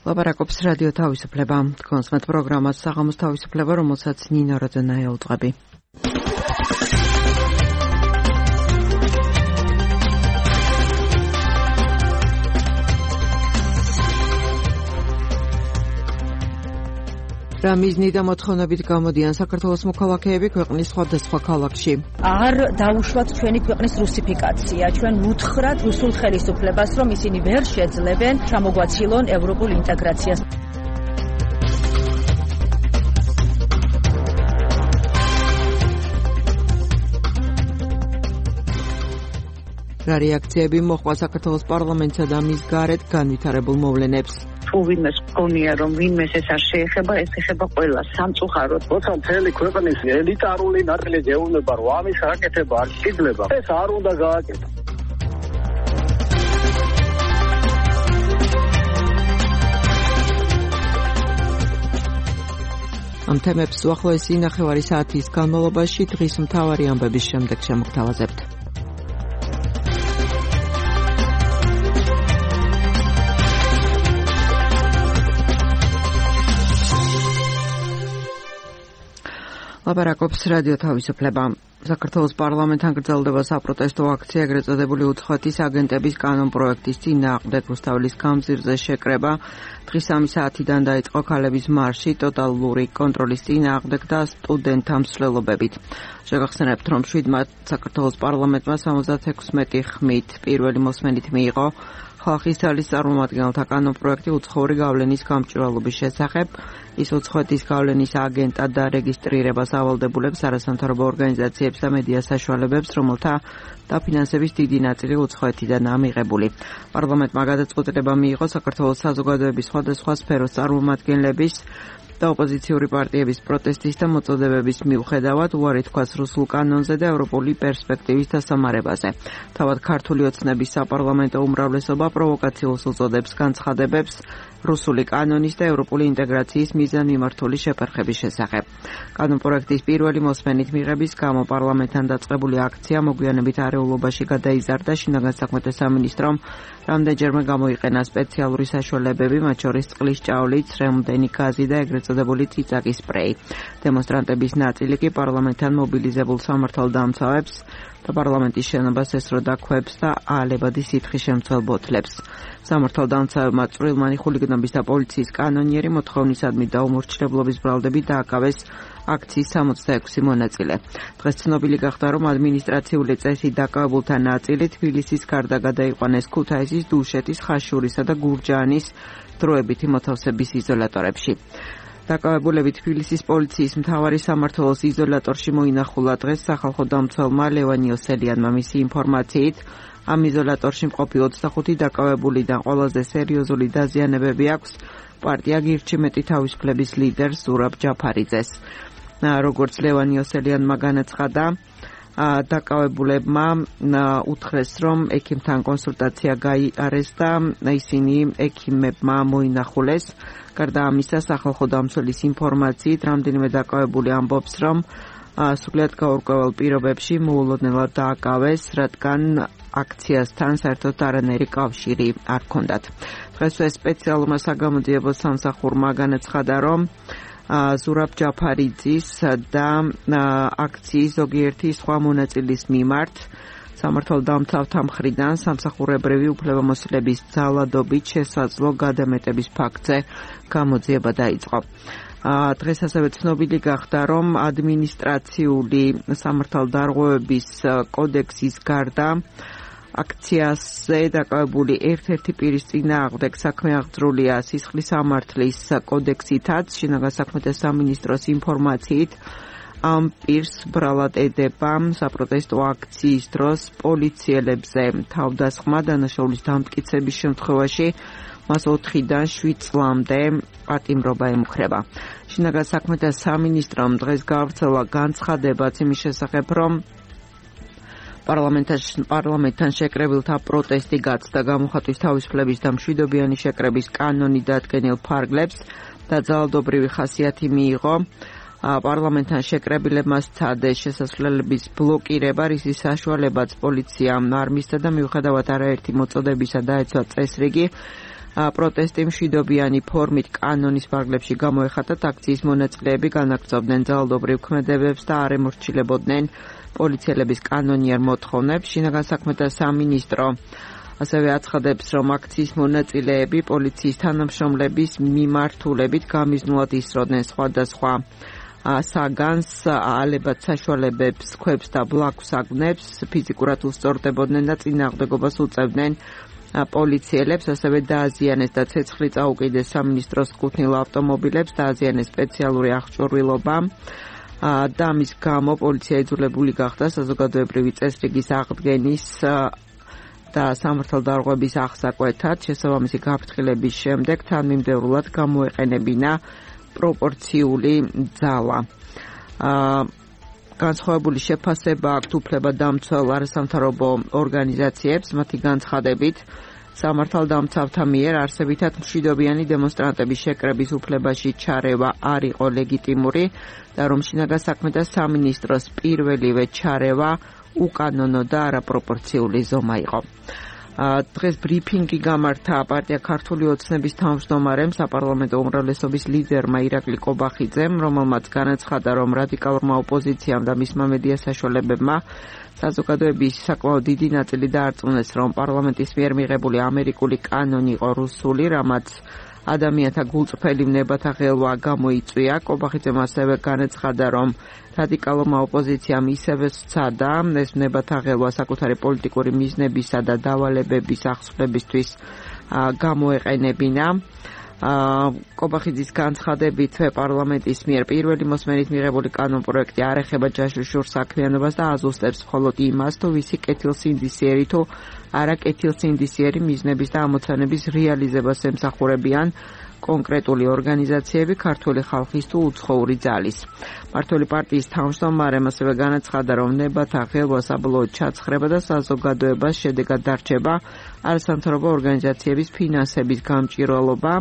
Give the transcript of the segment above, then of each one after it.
ლაპარაკობს რადიო თავისუფლება. თქვენს მათ პროგრამას საღამოს თავისუფლება, რომელსაც ნინო როძენა ეუძღვები. რა მიზნით და მოთხოვნებით გამოდიან საქართველოს მოქალაქეები ქვეყნის სხვადასხვა ქალაქში. არ დაუშვათ ჩვენი ქვეყნის რუსიფიკაცია. ჩვენ უთხრათ რუსულ ხელისუფლებას, რომ ისინი ვერ შეძლებენ ჩამოგვაცილონ ევროპულ ინტეგრაციას. რა რეაქციები მოჰყვა საქართველოს პარლამენტსა და მის გარეთ განვითარებულ მოვლენებს. თუ ვინმეს გონია რომ ვინმეს ეს არ შეეხება, ეს ეხება ყველას სამწუხაროდ. როცა მთელი ქვეყნის ელიტარული ნაწილი გეუბნება რომ ამის გაკეთება არ შეიძლება, ეს არ უნდა გააკეთოს. ამ თემებს უახლოესი ნახევარი საათის განმავლობაში დღის მთავარი ამბების შემდეგ შემოგთავაზებთ. ლაპარაკობს რადიო თავისუფლება. საქართველოს პარლამენტთან გრძელდება საპროტესტო აქცია, ეგრეთ წოდებული უცხოეთის აგენტების კანონპროექტის წინააღმდეგ. რუსთაველის გამზირზე შეკრება დღის 3 საათიდან დაიწყო ქალების მარში ტოტალური კონტროლის წინააღმდეგ და სტუდენტთა მსვლელობებით. შეგახსენებთ, რომ 7 მარტს საქართველოს პარლამენტმა 76 ხმით პირველი მოსმენით მიიღო ხალხის ძალის წარმომადგენელთა კანონპროექტი უცხოური გავლენის გამჭვირვალობის შესახებ. ის უცხოეთის გავლენის აგენტად და რეგისტრირებას ავალდებულებს არასამთავრობო ორგანიზაციებს და მედია საშუალებებს, რომელთა დაფინანსების დიდი ნაწილი უცხოეთიდანაა მიღებული. პარლამენტმა გადაწყვეტილება მიიღო საქართველოს საზოგადოების სხვადასხვა სფეროს წარმომადგენლების და ოპოზიციური პარტიების პროტესტის და მოწოდებების მიუხედავად უარი თქვას რუსულ კანონზე და ევროპული პერსპექტივის დასამარებაზე. თავად ქართული ოცნების საპარლამენტო უმრავლესობა პროვოკაციულს უწოდებს განცხადებებს რუსული კანონის და ევროპული ინტეგრაციის მიზანმიმართული შეფერხების შესახებ. კანონპროექტის პირველი მოსმენით მიღების გამო პარლამენტთან დაწყებული აქცია მოგვიანებით არეულობაში გადაიზარდა. შინაგან საქმეთა სამინისტრომ რამდენჯერმე გამოიყენა სპეციალური საშუალებები, მათ შორის წყლის ჭავლი, ცრემლდენი გაზი და ეგრეთ წოდებული წიწაკის სპრეი. დემონსტრანტების ნაწილი კი პარლამენტთან მობილიზებულ სამართალდამცავებს და პარლამენტის შენობას ესროდა ქვებს და აალებადი სითხის შემცველ ბოთლებს. სამართალდამცავებმა წვრილმანი ხულიგნობის და პოლიციის კანონიერი მოთხოვნისადმი და უმორჩილებლობის ბრალდებით დააკავეს აქციის 66 მონაწილე. დღეს ცნობილი გახდა, რომ ადმინისტრაციული წესით დაკავებულთა ნაწილი თბილისის გარდა გადაიყვანეს ქუთაისის, დუშეთის, ხაშურისა და გურჯაანის დროებითი მოთავსების იზოლატორებში. დაკავებულები თბილისის პოლიციის მთავარი სამმართველოს იზოლატორში მოინახულა დღეს სახალხო დამცველმა ლევან იოსელიანმა. მისი ინფორმაციით, ამ იზოლატორში მყოფი 25 დაკავებულიდან ყველაზე სერიოზული დაზიანებები აქვს პარტია გირჩიმეტი თავისუფლების ლიდერს ზურაბ ჯაფარიძეს. როგორც ლევან იოსელიანმა განაცხადა, დაკავებულებმა უთხრეს, რომ ექიმთან კონსულტაცია გაიარეს და ისინი ექიმებმა მოინახულეს. გარდა ამისა, სახალხო დამცველის ინფორმაციით, რამდენიმე დაკავებული ამბობს, რომ სრულიად გაურკვეველ პირობებში მოულოდნელად დააკავეს, რადგან აქციასთან საერთოდ არანაირი კავშირი არ ჰქონდათ. დღესვე სპეციალურმა საგამოძიებო სამსახურმა განაცხადა, რომ ზურაბ ჯაფარიძის და აქციის ზოგიერთი სხვა მონაწილის მიმართ სამართალდამცავთა მხრიდან სამსახურებრივი უფლებამოსილების ძალადობით შესაძლო გადამეტების ფაქტზე გამოძიება დაიწყო. დღეს ასევე ცნობილი გახდა, რომ ადმინისტრაციული სამართალდარღვევების კოდექსის გარდა აქციაზე დაკავებული ერთ-ერთი პირის წინააღმდეგ საქმე აღძრულია სისხლის სამართლის კოდექსითაც. შინაგან საქმეთა სამინისტროს ინფორმაციით, ამ პირს ბრალად ედება საპროტესტო აქციის დროს პოლიციელებზე თავდასხმა დანაშაულის დამტკიცების შემთხვევაში მას 4-დან 7 წლამდე პატიმრობა ემუქრება. შინაგან საქმეთა სამინისტრომ დღეს გავრცელა განცხადებაც იმის შესახებ, რომ პარლამენტთან შეკრებილთა პროტესტი გაცდა გამოხატვის თავისუფლების და მშვიდობიანი შეკრების კანონი დადგენილ ფარგლებს და ძალადობრივი ხასიათი მიიღო. პარლამენტთან შეკრებილებმა სცადეს შესასვლელების ბლოკირება, რისის საშუალებაც პოლიციამ არ მისცა და მიუხედავად არაერთი მოწოდებისა დაეცვა წესრიგი, პროტესტი მშვიდობიანი ფორმით კანონის ფარგლებში გამოეხატათ, აქციის მონაწილეები განაგრძობდნენ ძალადობრივ ქმედებებს და არ ემორჩილებოდნენ პოლიციელების კანონიერ მოთხოვნებს. შინაგან საქმეთა სამინისტრო ასევე აცხადებს, რომ აქციის მონაწილეები პოლიციის თანამშრომლების მიმართულებით გამიზნულად ისროდნენ სხვადასხვა საგანს, ალებად საშუალებებს, ქვებს და ბლაქვს აგნებს, ფიზიკურად უსწორდებოდნენ და წინააღმდეგობას უწევდნენ პოლიციელებს, ასევე დააზიანეს და ცეცხლი წაუკიდეს სამინისტროს კუთვნილ ავტომობილებს, დააზიანეს სპეციალური აღჭურვილობა და ამის გამო პოლიცია იძულებული გახდა საზოგადოებრივი წესრიგის აღდგენის და სამართალდარღვევის აღსაკვეთად. შესაბამისი გაფრთხილების შემდეგ თანმიმდევრულად გამოეყენებინა პროპორციული ძალა. განსხვავებული შეფასება აქვთ უფლებადამცველ არასამთავრობო ორგანიზაციებს, მათი განცხადებით სამართალდამცავთა მიერ არსებითად მშვიდობიანი დემონსტრანტების შეკრების უფლებაში ჩარევა არ იყო ლეგიტიმური და რომ შინაგან საქმეთა სამინისტროს პირველივე ჩარევა უკანონო და არაპროპორციული ზომა იყო. დღეს ბრიფინგი გამართა პარტია ქართული ოცნების თავმჯდომარემ, საპარლამენტო უმრავლესობის ლიდერმა ირაკლი კობახიძემ, რომელმაც განაცხადა, რომ რადიკალურმა ოპოზიციამ და მისმა მედია საშუალებებმა საზოგადოების საკმაოდ დიდი ნაწილი დაარწმუნეს, რომ პარლამენტის მიერ მიღებული ამერიკული კანონი იყო რუსული, რამაც ადამიანთა გულწრფელი ვნებათა ღელვა გამოიწვია. კობახიძემ ასევე განაცხადა, რომ რადიკალურმა ოპოზიციამ ისევე სცადა ეს ვნებათა ღელვა საკუთარი პოლიტიკური მიზნებისა და დავალებების აღსრულებისთვის გამოეყენებინა. კობახიძის განცხადებით, პარლამენტის მიერ პირველი მოსმენით მიღებული კანონპროექტი არ ეხება ჯაშუშურ საქმიანობას და აზუსტებს მხოლოდ იმას, თუ ვისი კეთილსინდისიერი თუ არა კეთილსინდისიერი მიზნების და ამოცანების რეალიზებას ემსახურებიან კონკრეტული ორგანიზაციები ქართული ხალხის თუ უცხოური ძალის. მმართველი პარტიის თავმჯდომარემ ასევე განაცხადა, რომ ვნებათა ღელვა საბოლოოდ ჩაცხრება და საზოგადოებას შედეგად დარჩება არასამთავრობო ორგანიზაციების ფინანსების გამჭირვალობა,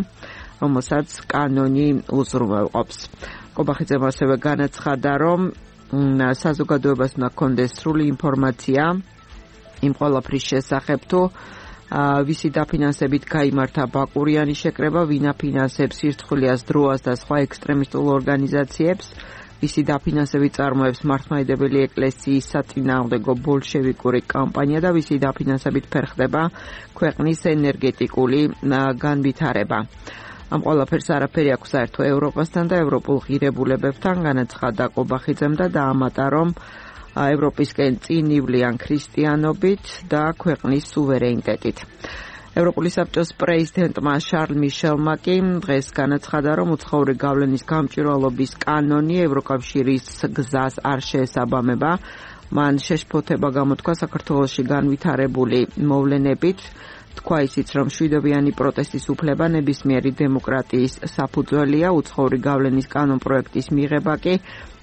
რომელსაც კანონი უზრუნველყოფს. კობახიძემ ასევე განაცხადა, რომ საზოგადოებას უნდა ჰქონდეს სრული ინფორმაცია იმ ყველაფრის შესახებ, თუ ვისი დაფინანსებით გაიმართა ბაკურიანის შეკრება, ვინ აფინანსებს სირცხვილიას, დროას და სხვა ექსტრემისტულ ორგანიზაციებს, ვისი დაფინანსებით წარმოებს მართლმადიდებელი ეკლესიის საწინააღმდეგო ბოლშევიკური კამპანია და ვისი დაფინანსებით ფერხდება ქვეყნის ენერგეტიკული განვითარება. ამ ყველაფერს არაფერი აქვს საერთო ევროპასთან და ევროპულ ღირებულებებთან, განაცხადა კობახიძემ და დაამატა, რომ ევროპისკენ წინ ივლიან ქრისტიანობით და ქვეყნის სუვერენიტეტით. ევროპული საბჭოს პრეზიდენტმა შარლ მიშელმა კი დღეს განაცხადა, რომ უცხოური გავლენის გამჭირვალობის კანონი ევროკავშირის გზას არ შეესაბამება. მან შეშფოთება გამოთქვა საქართველოში განვითარებული მოვლენებით. თქვა ისიც, რომ მშვიდობიანი პროტესტის უფლება ნებისმიერი დემოკრატიის საფუძველია, უცხოური გავლენის კანონპროექტის მიღება კი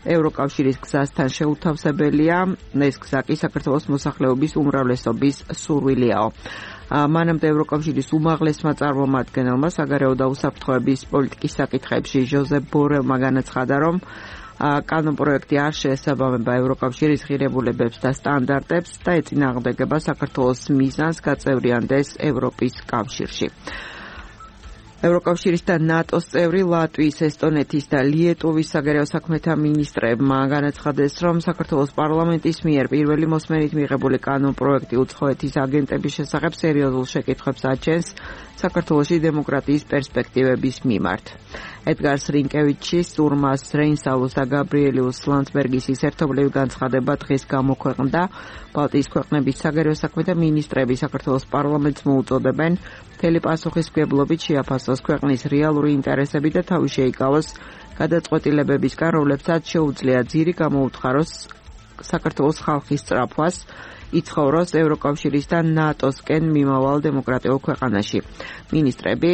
ევროკავშირის გზასთან შეუთავსებელია. ეს გზა კი საქართველოს მოსახლეობის უმრავლესობის სურვილიაო. მანამდე ევროკავშირის უმაღლესმა წარმომადგენელმა საგარეო და უსაფრთხოების პოლიტიკის საკითხებში ჟოზეფ ბორელმა განაცხადა, რომ კანონპროექტი არ შეესაბამება ევროკავშირის ღირებულებებს და სტანდარტებს და ეწინააღმდეგება საქართველოს მიზანს გაწევრიანდეს ევროპის კავშირში. ევროკავშირის და ნატოს წევრი ლატვიის, ესტონეთის და ლიეტუვის საგარეო საქმეთა მინისტრებმა განაცხადეს, რომ საქართველოს პარლამენტის მიერ პირველი მოსმენით მიღებული კანონპროექტი უცხოეთის აგენტების შესახებ სერიოზულ შეკითხვებს აჩენს საქართველოში დემოკრატიის პერსპექტივების მიმართ. ედგარ რინკევიჩის, ურმას რეინსალოს და გაბრიელიუს ლანდსბერგის ერთობლივი განცხადება დღეს გამოქვეყნდა. ბალტიის ქვეყნების საგარეო საქმეთა მინისტრები საქართველოს პარლამენტს მოუწოდებენ მთელი პასუხისმგებლობით შეაფასოს ქვეყნის რეალური ინტერესები და თავი შეიკავოს გადაწყვეტილებებისგან, რომლებსაც შეუძლია ძირი გამოუთხაროს საქართველოს ხალხის სწრაფვას, იცხოვროს ევროკავშირის და ნატოსკენ მიმავალ დემოკრატიულ ქვეყანაში. მინისტრები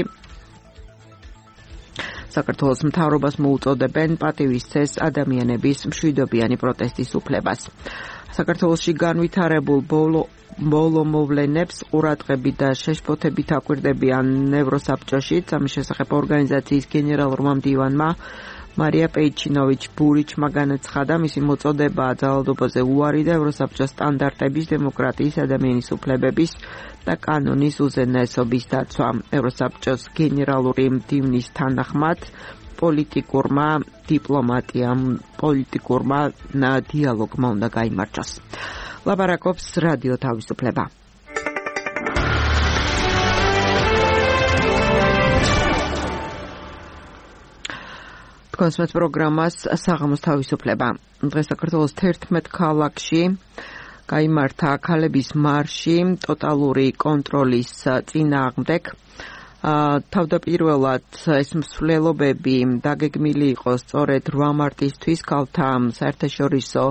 საქართველოს მთავრობას მოუწოდებენ პატივისცეს ადამიანების მშვიდობიანი პროტესტის უფლებას. საქართველოში განვითარებულ ბოლო მოვლენებს ყურადღებით და შეშფოთებით აკვირდებიან ევროსაბჭოში. ამის შესახებ ორგანიზაციის გენერალურმა მდივანმა მარია პეიჩინოვიჩ-ბურიჩმა განაცხადა, მისი მოწოდება ძალადობაზე უარი და ევროსაბჭოს სტანდარტების, დემოკრატიის, ადამიანის უფლებების და კანონის უზენაესობის დაცვა. ევროსაბჭოს გენერალური მდივნის თანახმად პოლიტიკურმა დიალოგმა უნდა გაიმარჯვოს. ლაპარაკობს რადიო თავისუფლება. კონსმეთ პროგრამას საღამოს თავისუფლება. დღეს საქართველოს 11 ქალაქში გაიმართა ქალების მარში ტოტალური კონტროლის წინააღმდეგ. თავდაპირველად ეს მსვლელობები დაგეგმილი იყო სწორედ 8 მარტისთვის ქალთა საერთაშორისო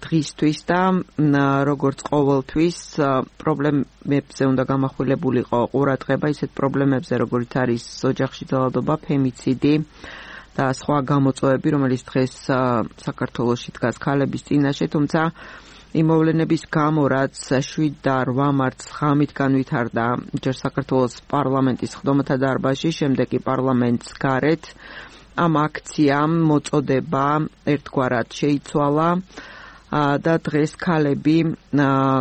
დღისთვის და როგორც ყოველთვის პრობლემებზე უნდა გამახვილებულიყო ყურადღება ისეთ პრობლემებზე როგორც არის ოჯახში ძალადობა, ფემიციდი და სხვა გამოწვევები, რომელიც დღეს საქართველოში დგას ქალების წინაშე, თუმცა იმ მოვლენების გამო, რაც 7 და 8 მარტს ღამით განვითარდა ჯერ საქართველოს პარლამენტის ხდომათა დარბაზში, შემდეგ კი პარლამენტს გარეთ, ამ აქციამ მოწოდება ერთგვარად შეიცვალა და დღეს ქალები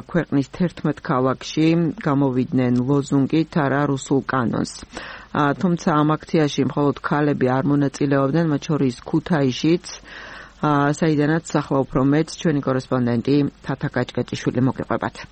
ქვეყნის 11 ქალაქში გამოვიდნენ ლოზუნგით არა რუსულ კანონს. თუმცა ამ აქციაში მხოლოდ ქალები არ მონაწილეობდნენ, მათ შორის ქუთაისშიც, საიდანაც ახლა უფრო მეც ჩვენი კორესპონდენტი თათა კაჭკაჭიშვილი მოგიყვებათ.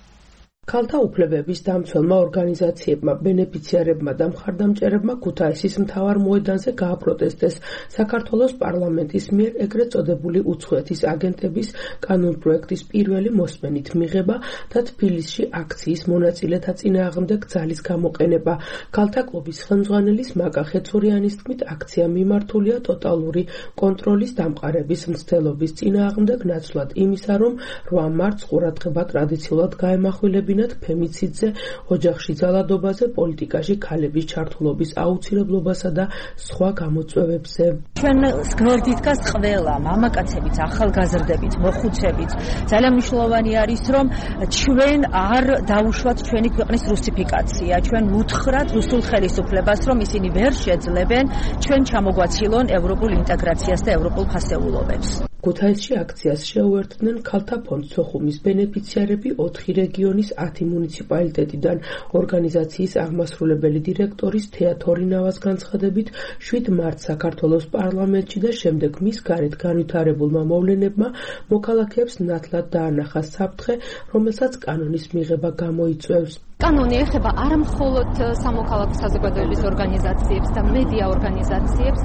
ქალთა უფლებების დამცველმა ორგანიზაციებმა, ბენეფიციარებმა და მხარდამჭერებმა ქუთაისის მთავარ მოედანზე გააპროტესტეს საქართველოს პარლამენტის მიერ ეგრეთ წოდებული უცხოეთის აგენტების კანონპროექტის პირველი მოსმენით მიღება და თბილისში აქციის მონაწილეთა წინააღმდეგ ძალის გამოყენება. ქალთა კლუბის ხელმძღვანელის მაკა ხეცურიანის თქმით, აქცია მიმართულია ტოტალური კონტროლის დამყარების მცდელობის წინააღმდეგ, ნაცვლად იმისა, რომ 8 მარტს ყურადღება ტრადიციულად გაემახვილებინათ ფემიციდზე, ოჯახში ძალადობაზე, პოლიტიკაში ქალების ჩართულობის აუცილებლობასა და სხვა გამოწვევებზე. ჩვენ გვერდით დგას ყველა მამაკაცებით, ახალგაზრდებით, მოხუცებით. ძალიან მნიშვნელოვანი არის, რომ ჩვენ არ დავუშვათ ჩვენი ქვეყნის რუსიფიკაცია. ჩვენ უთხრათ რუსულ ხელისუფლებას, რომ ისინი ვერ შეძლებენ ჩვენ ჩამოგვაცილონ ევროპულ ინტეგრაციას და ევროპულ ფასეულობებს. ქუთაისში აქციას შეუერთდნენ ქალთა ფონდ სოხუმის ბენეფიციარები 4 რეგიონის 10 მუნიციპალიტეტიდან. ორგანიზაციის აღმასრულებელი დირექტორის თეა თორინავას განცხადებით, 7 მარტს საქართველოს პარლამენტში და შემდეგ მის გარეთ განვითარებულმა მოვლენებმა მოქალაქეებს ნათლად დაანახა საფრთხე, რომელსაც კანონის მიღება გამოიწვევს. კანონი ეხება არა მხოლოდ სამოქალაქო საზოგადოების ორგანიზაციებს და მედია ორგანიზაციებს,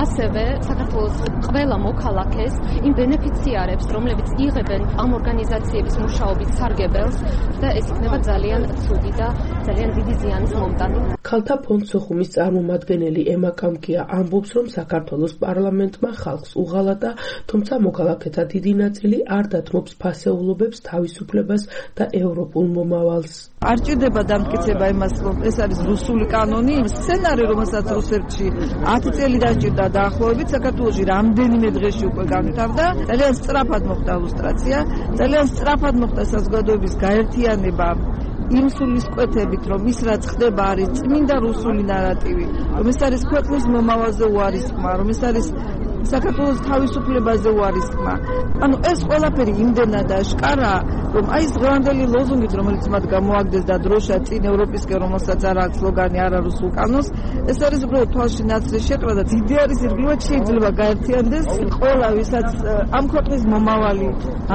ასევე საქართველოს ყველა მოქალაქეს, იმ ბენეფიციარებს, რომლებიც იღებენ ამ ორგანიზაციების მუშაობის სარგებელს და ეს იქნება ძალიან ცუდი და ძალიან დიდი ზიანის მომტანი. ქალთა ფონდ სოხუმის წარმომადგენელი ემა კამკია ამბობს, რომ საქართველოს პარლამენტმა ხალხს უღალატა, თუმცა მოქალაქეთა დიდი ნაწილი არ დათმობს ფასეულობებს, თავისუფლებას და ევროპულ მომავალს. არ ჭირდება დამტკიცება იმას, რომ ეს არის რუსული კანონი, სცენარი, რომელსაც რუსეთში 10 წელი დაჭირდა დაახლოებით, საქართველოში რამდენიმე დღეში უკვე განვითარდა. ძალიან სწრაფად მოხდა ლუსტრაცია, ძალიან სწრაფად მოხდა საზოგადოების გაერთიანება იმ სულისკვეთებით, რომ ის რაც ხდება არის წმინდა რუსული ნარატივი, რომ ეს არის ქვეყნის მომავალზე უარის ხმა, რომ ეს არის საქართველოს თავისუფლებაზე უარის ხმა. ანუ ეს ყველაფერი იმდენად აშკარაა, რომ აი ეს დღევანდელი ლოზუნგით, რომელიც მათ გამოაგდეს და დროშა წინ ევროპისკენ, რომელსაც არ აქვს სლოგანი არა რუსულ კანონს, ეს არის უბრალოდ თვალში ნაცრი შეყრა და დიდი არის ირგვლივად შეიძლება გაერთიანდეს ყველა, ვისაც ამ ქვეყნის მომავალი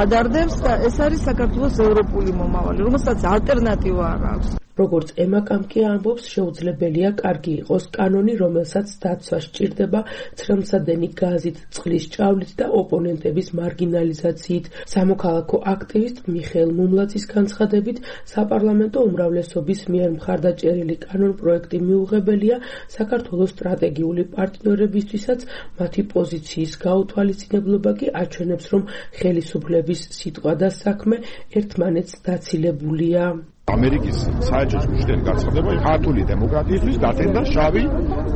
ადარდებს და ეს არის საქართველოს ევროპული მომავალი, რომელსაც ალტერნატივა არ აქვს. როგორც ემა კამკია ამბობს, შეუძლებელია კარგი იყოს კანონი, რომელსაც დაცვა სჭირდება ცრემლსადენი გაზით, წყლის ჭავლით და ოპონენტების მარგინალიზაციით. სამოქალაქო აქტივისტ მიხეილ მუმლაძის განცხადებით, საპარლამენტო უმრავლესობის მიერ მხარდაჭერილი კანონპროექტი მიუღებელია საქართველოს სტრატეგიული პარტნიორებისთვისაც, მათი პოზიციის გაუთვალისწინებლობა კი აჩვენებს, რომ ხელისუფლების სიტყვა და საქმე ერთმანეთს დაცილებულია. ამერიკის საერთო ჯგუფში გაცხადება ქართული დემოკრატიისთვის დათენდა შავი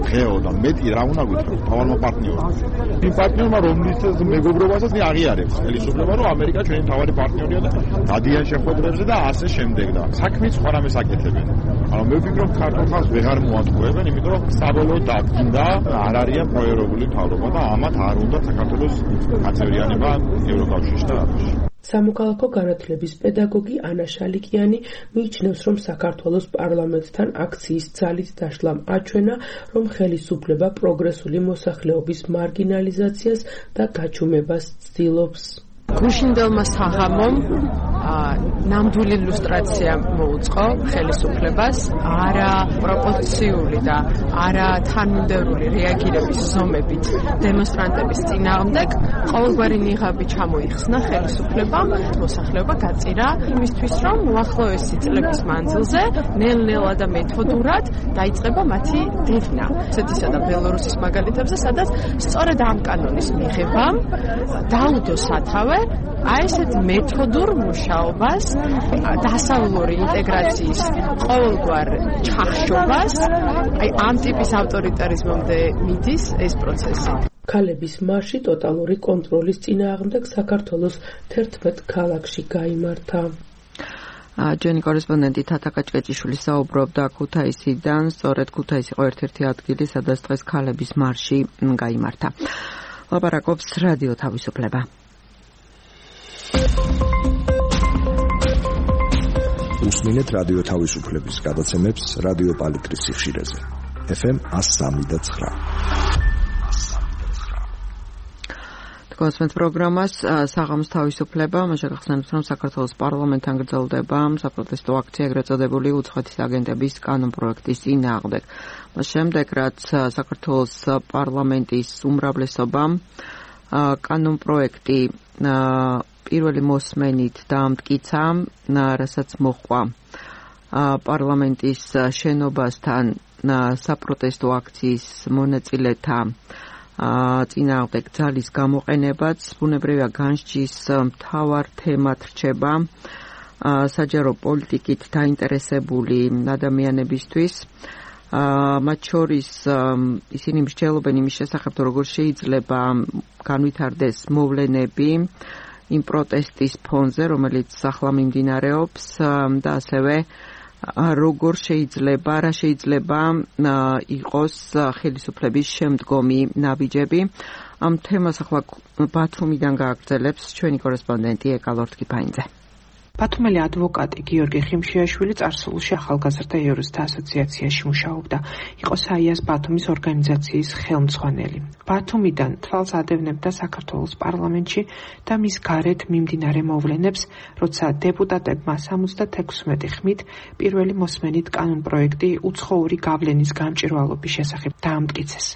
დღეო და მეტი რა უნდა გითხრათ თავალმა პარტნიორმა. იმ პარტნიორმა რომლის მეგობრობასაც აღიარებს ხელისუფლება რომ ამერიკა ჩვენი მთავარი პარტნიორია და დადიან შეხვედრებზე და ასე შემდეგ და საქმის სხვა რამეს აკეთებენ. ანუ მე ვფიქრობ ქართულ ხალხს ვეღარ მოატყუებენ, იმიტომ რომ საბოლოოდ დადგინდა არ არიან პროერებული მთავრობა და ამათ არ უნდა საქართველოს გაწევრიანება ევროკავშირში და აფში. სამოქალაქო განათლების პედაგოგი ანა შალიკიანი მიიჩნევს, რომ საქართველოს პარლამენტთან აქციის ძალით დაშლამ აჩვენა, რომ ხელისუფლება პროგრესული მოსახლეობის მარგინალიზაციას და გაჩუმებას ცდილობს. გუშინდელმა საღამომ ნამდვილი ილუსტრაცია მოუწყო ხელისუფლებას არა პროპორციული და არა თანმიმდევრული რეაგირების ზომებით დემონსტრანტების წინააღმდეგ ყოველგვარი ნიღაბი ჩამოიხსნა ხელისუფლებამ მოსახლეობა გაწირა იმისთვის რომ უახლოესი წლების მანძილზე ნელ-ნელა და მეთოდურად დაიწყება მათი დევნა რუსეთისა და ბელორუსის მაგალითებზე სადაც სწორედ ამ კანონის მიღებამ დაუდო სათავე აი ესეთ მეთოდურ მუშაობას დასავლური ინტეგრაციის ყოველგვარ ჩახშობას აი ამ ტიპის ავტორიტარიზმამდე მიდის ეს პროცესი. ქალების მარში ტოტალური კონტროლის წინააღმდეგ საქართველოს 11 ქალაქში გაიმართა. ჯენი კორესპონდენტი თათა კაჭკაჭიშვილი საუბრობდა ქუთაისიდან, სწორედ ქუთაისი იყო ერთ-ერთი ადგილი, სადაც დღეს ქალების მარში გაიმართა. ლაპარაკობს რადიო თავისუფლება. უსმინეთ რადიო თავისუფლების გადაცემებს რადიო პალიტრის სიხშირეზე. FM 103.9. თქვენს პროგრამას საღამოს თავისუფლება, მასე გახსენებთ, რომ საქართველოს პარლამენტთან გრძელდება საპროტესტო აქცია, ეგრეთ წოდებული უცხოეთის აგენტების კანონპროექტის წინააღმდეგ. მას შემდეგ, რაც საქართველოს პარლამენტის უმრავლესობამ კანონპროექტი პირველი მოსმენით დაამტკიცა, რასაც მოჰყვა პარლამენტის შენობასთან საპროტესტო აქციის მონაწილეთა წინააღმდეგ ძალის გამოყენებაც, ბუნებრივია განსჯის მთავარ თემად რჩება საჯარო პოლიტიკით დაინტერესებული ადამიანებისთვის. მათ შორის ისინი მსჯელობენ იმის შესახებ, როგორ შეიძლება განვითარდეს მოვლენები იმ პროტესტის ფონზე, რომელიც ახლა მიმდინარეობს და ასევე რა შეიძლება იყოს ხელისუფლების შემდგომი ნაბიჯები. ამ თემას ახლა ბათუმიდან გააგრძელებს ჩვენი კორესპონდენტი ეკალორთკიფაინძე. ბათუმელი ადვოკატი გიორგი ხიმშიაშვილი წარსულში ახალგაზრდა იურისტთა ასოციაციაში მუშაობდა. იყო საიას ბათუმის ორგანიზაციის ხელმძღვანელი. ბათუმიდან თვალს ადევნებდა საქართველოს პარლამენტში და მის გარეთ მიმდინარე მოვლენებს, როცა დეპუტატებმა 76 ხმით პირველი მოსმენით კანონპროექტი უცხოური გავლენის გამჭვირვალობის შესახებ დაამტკიცეს.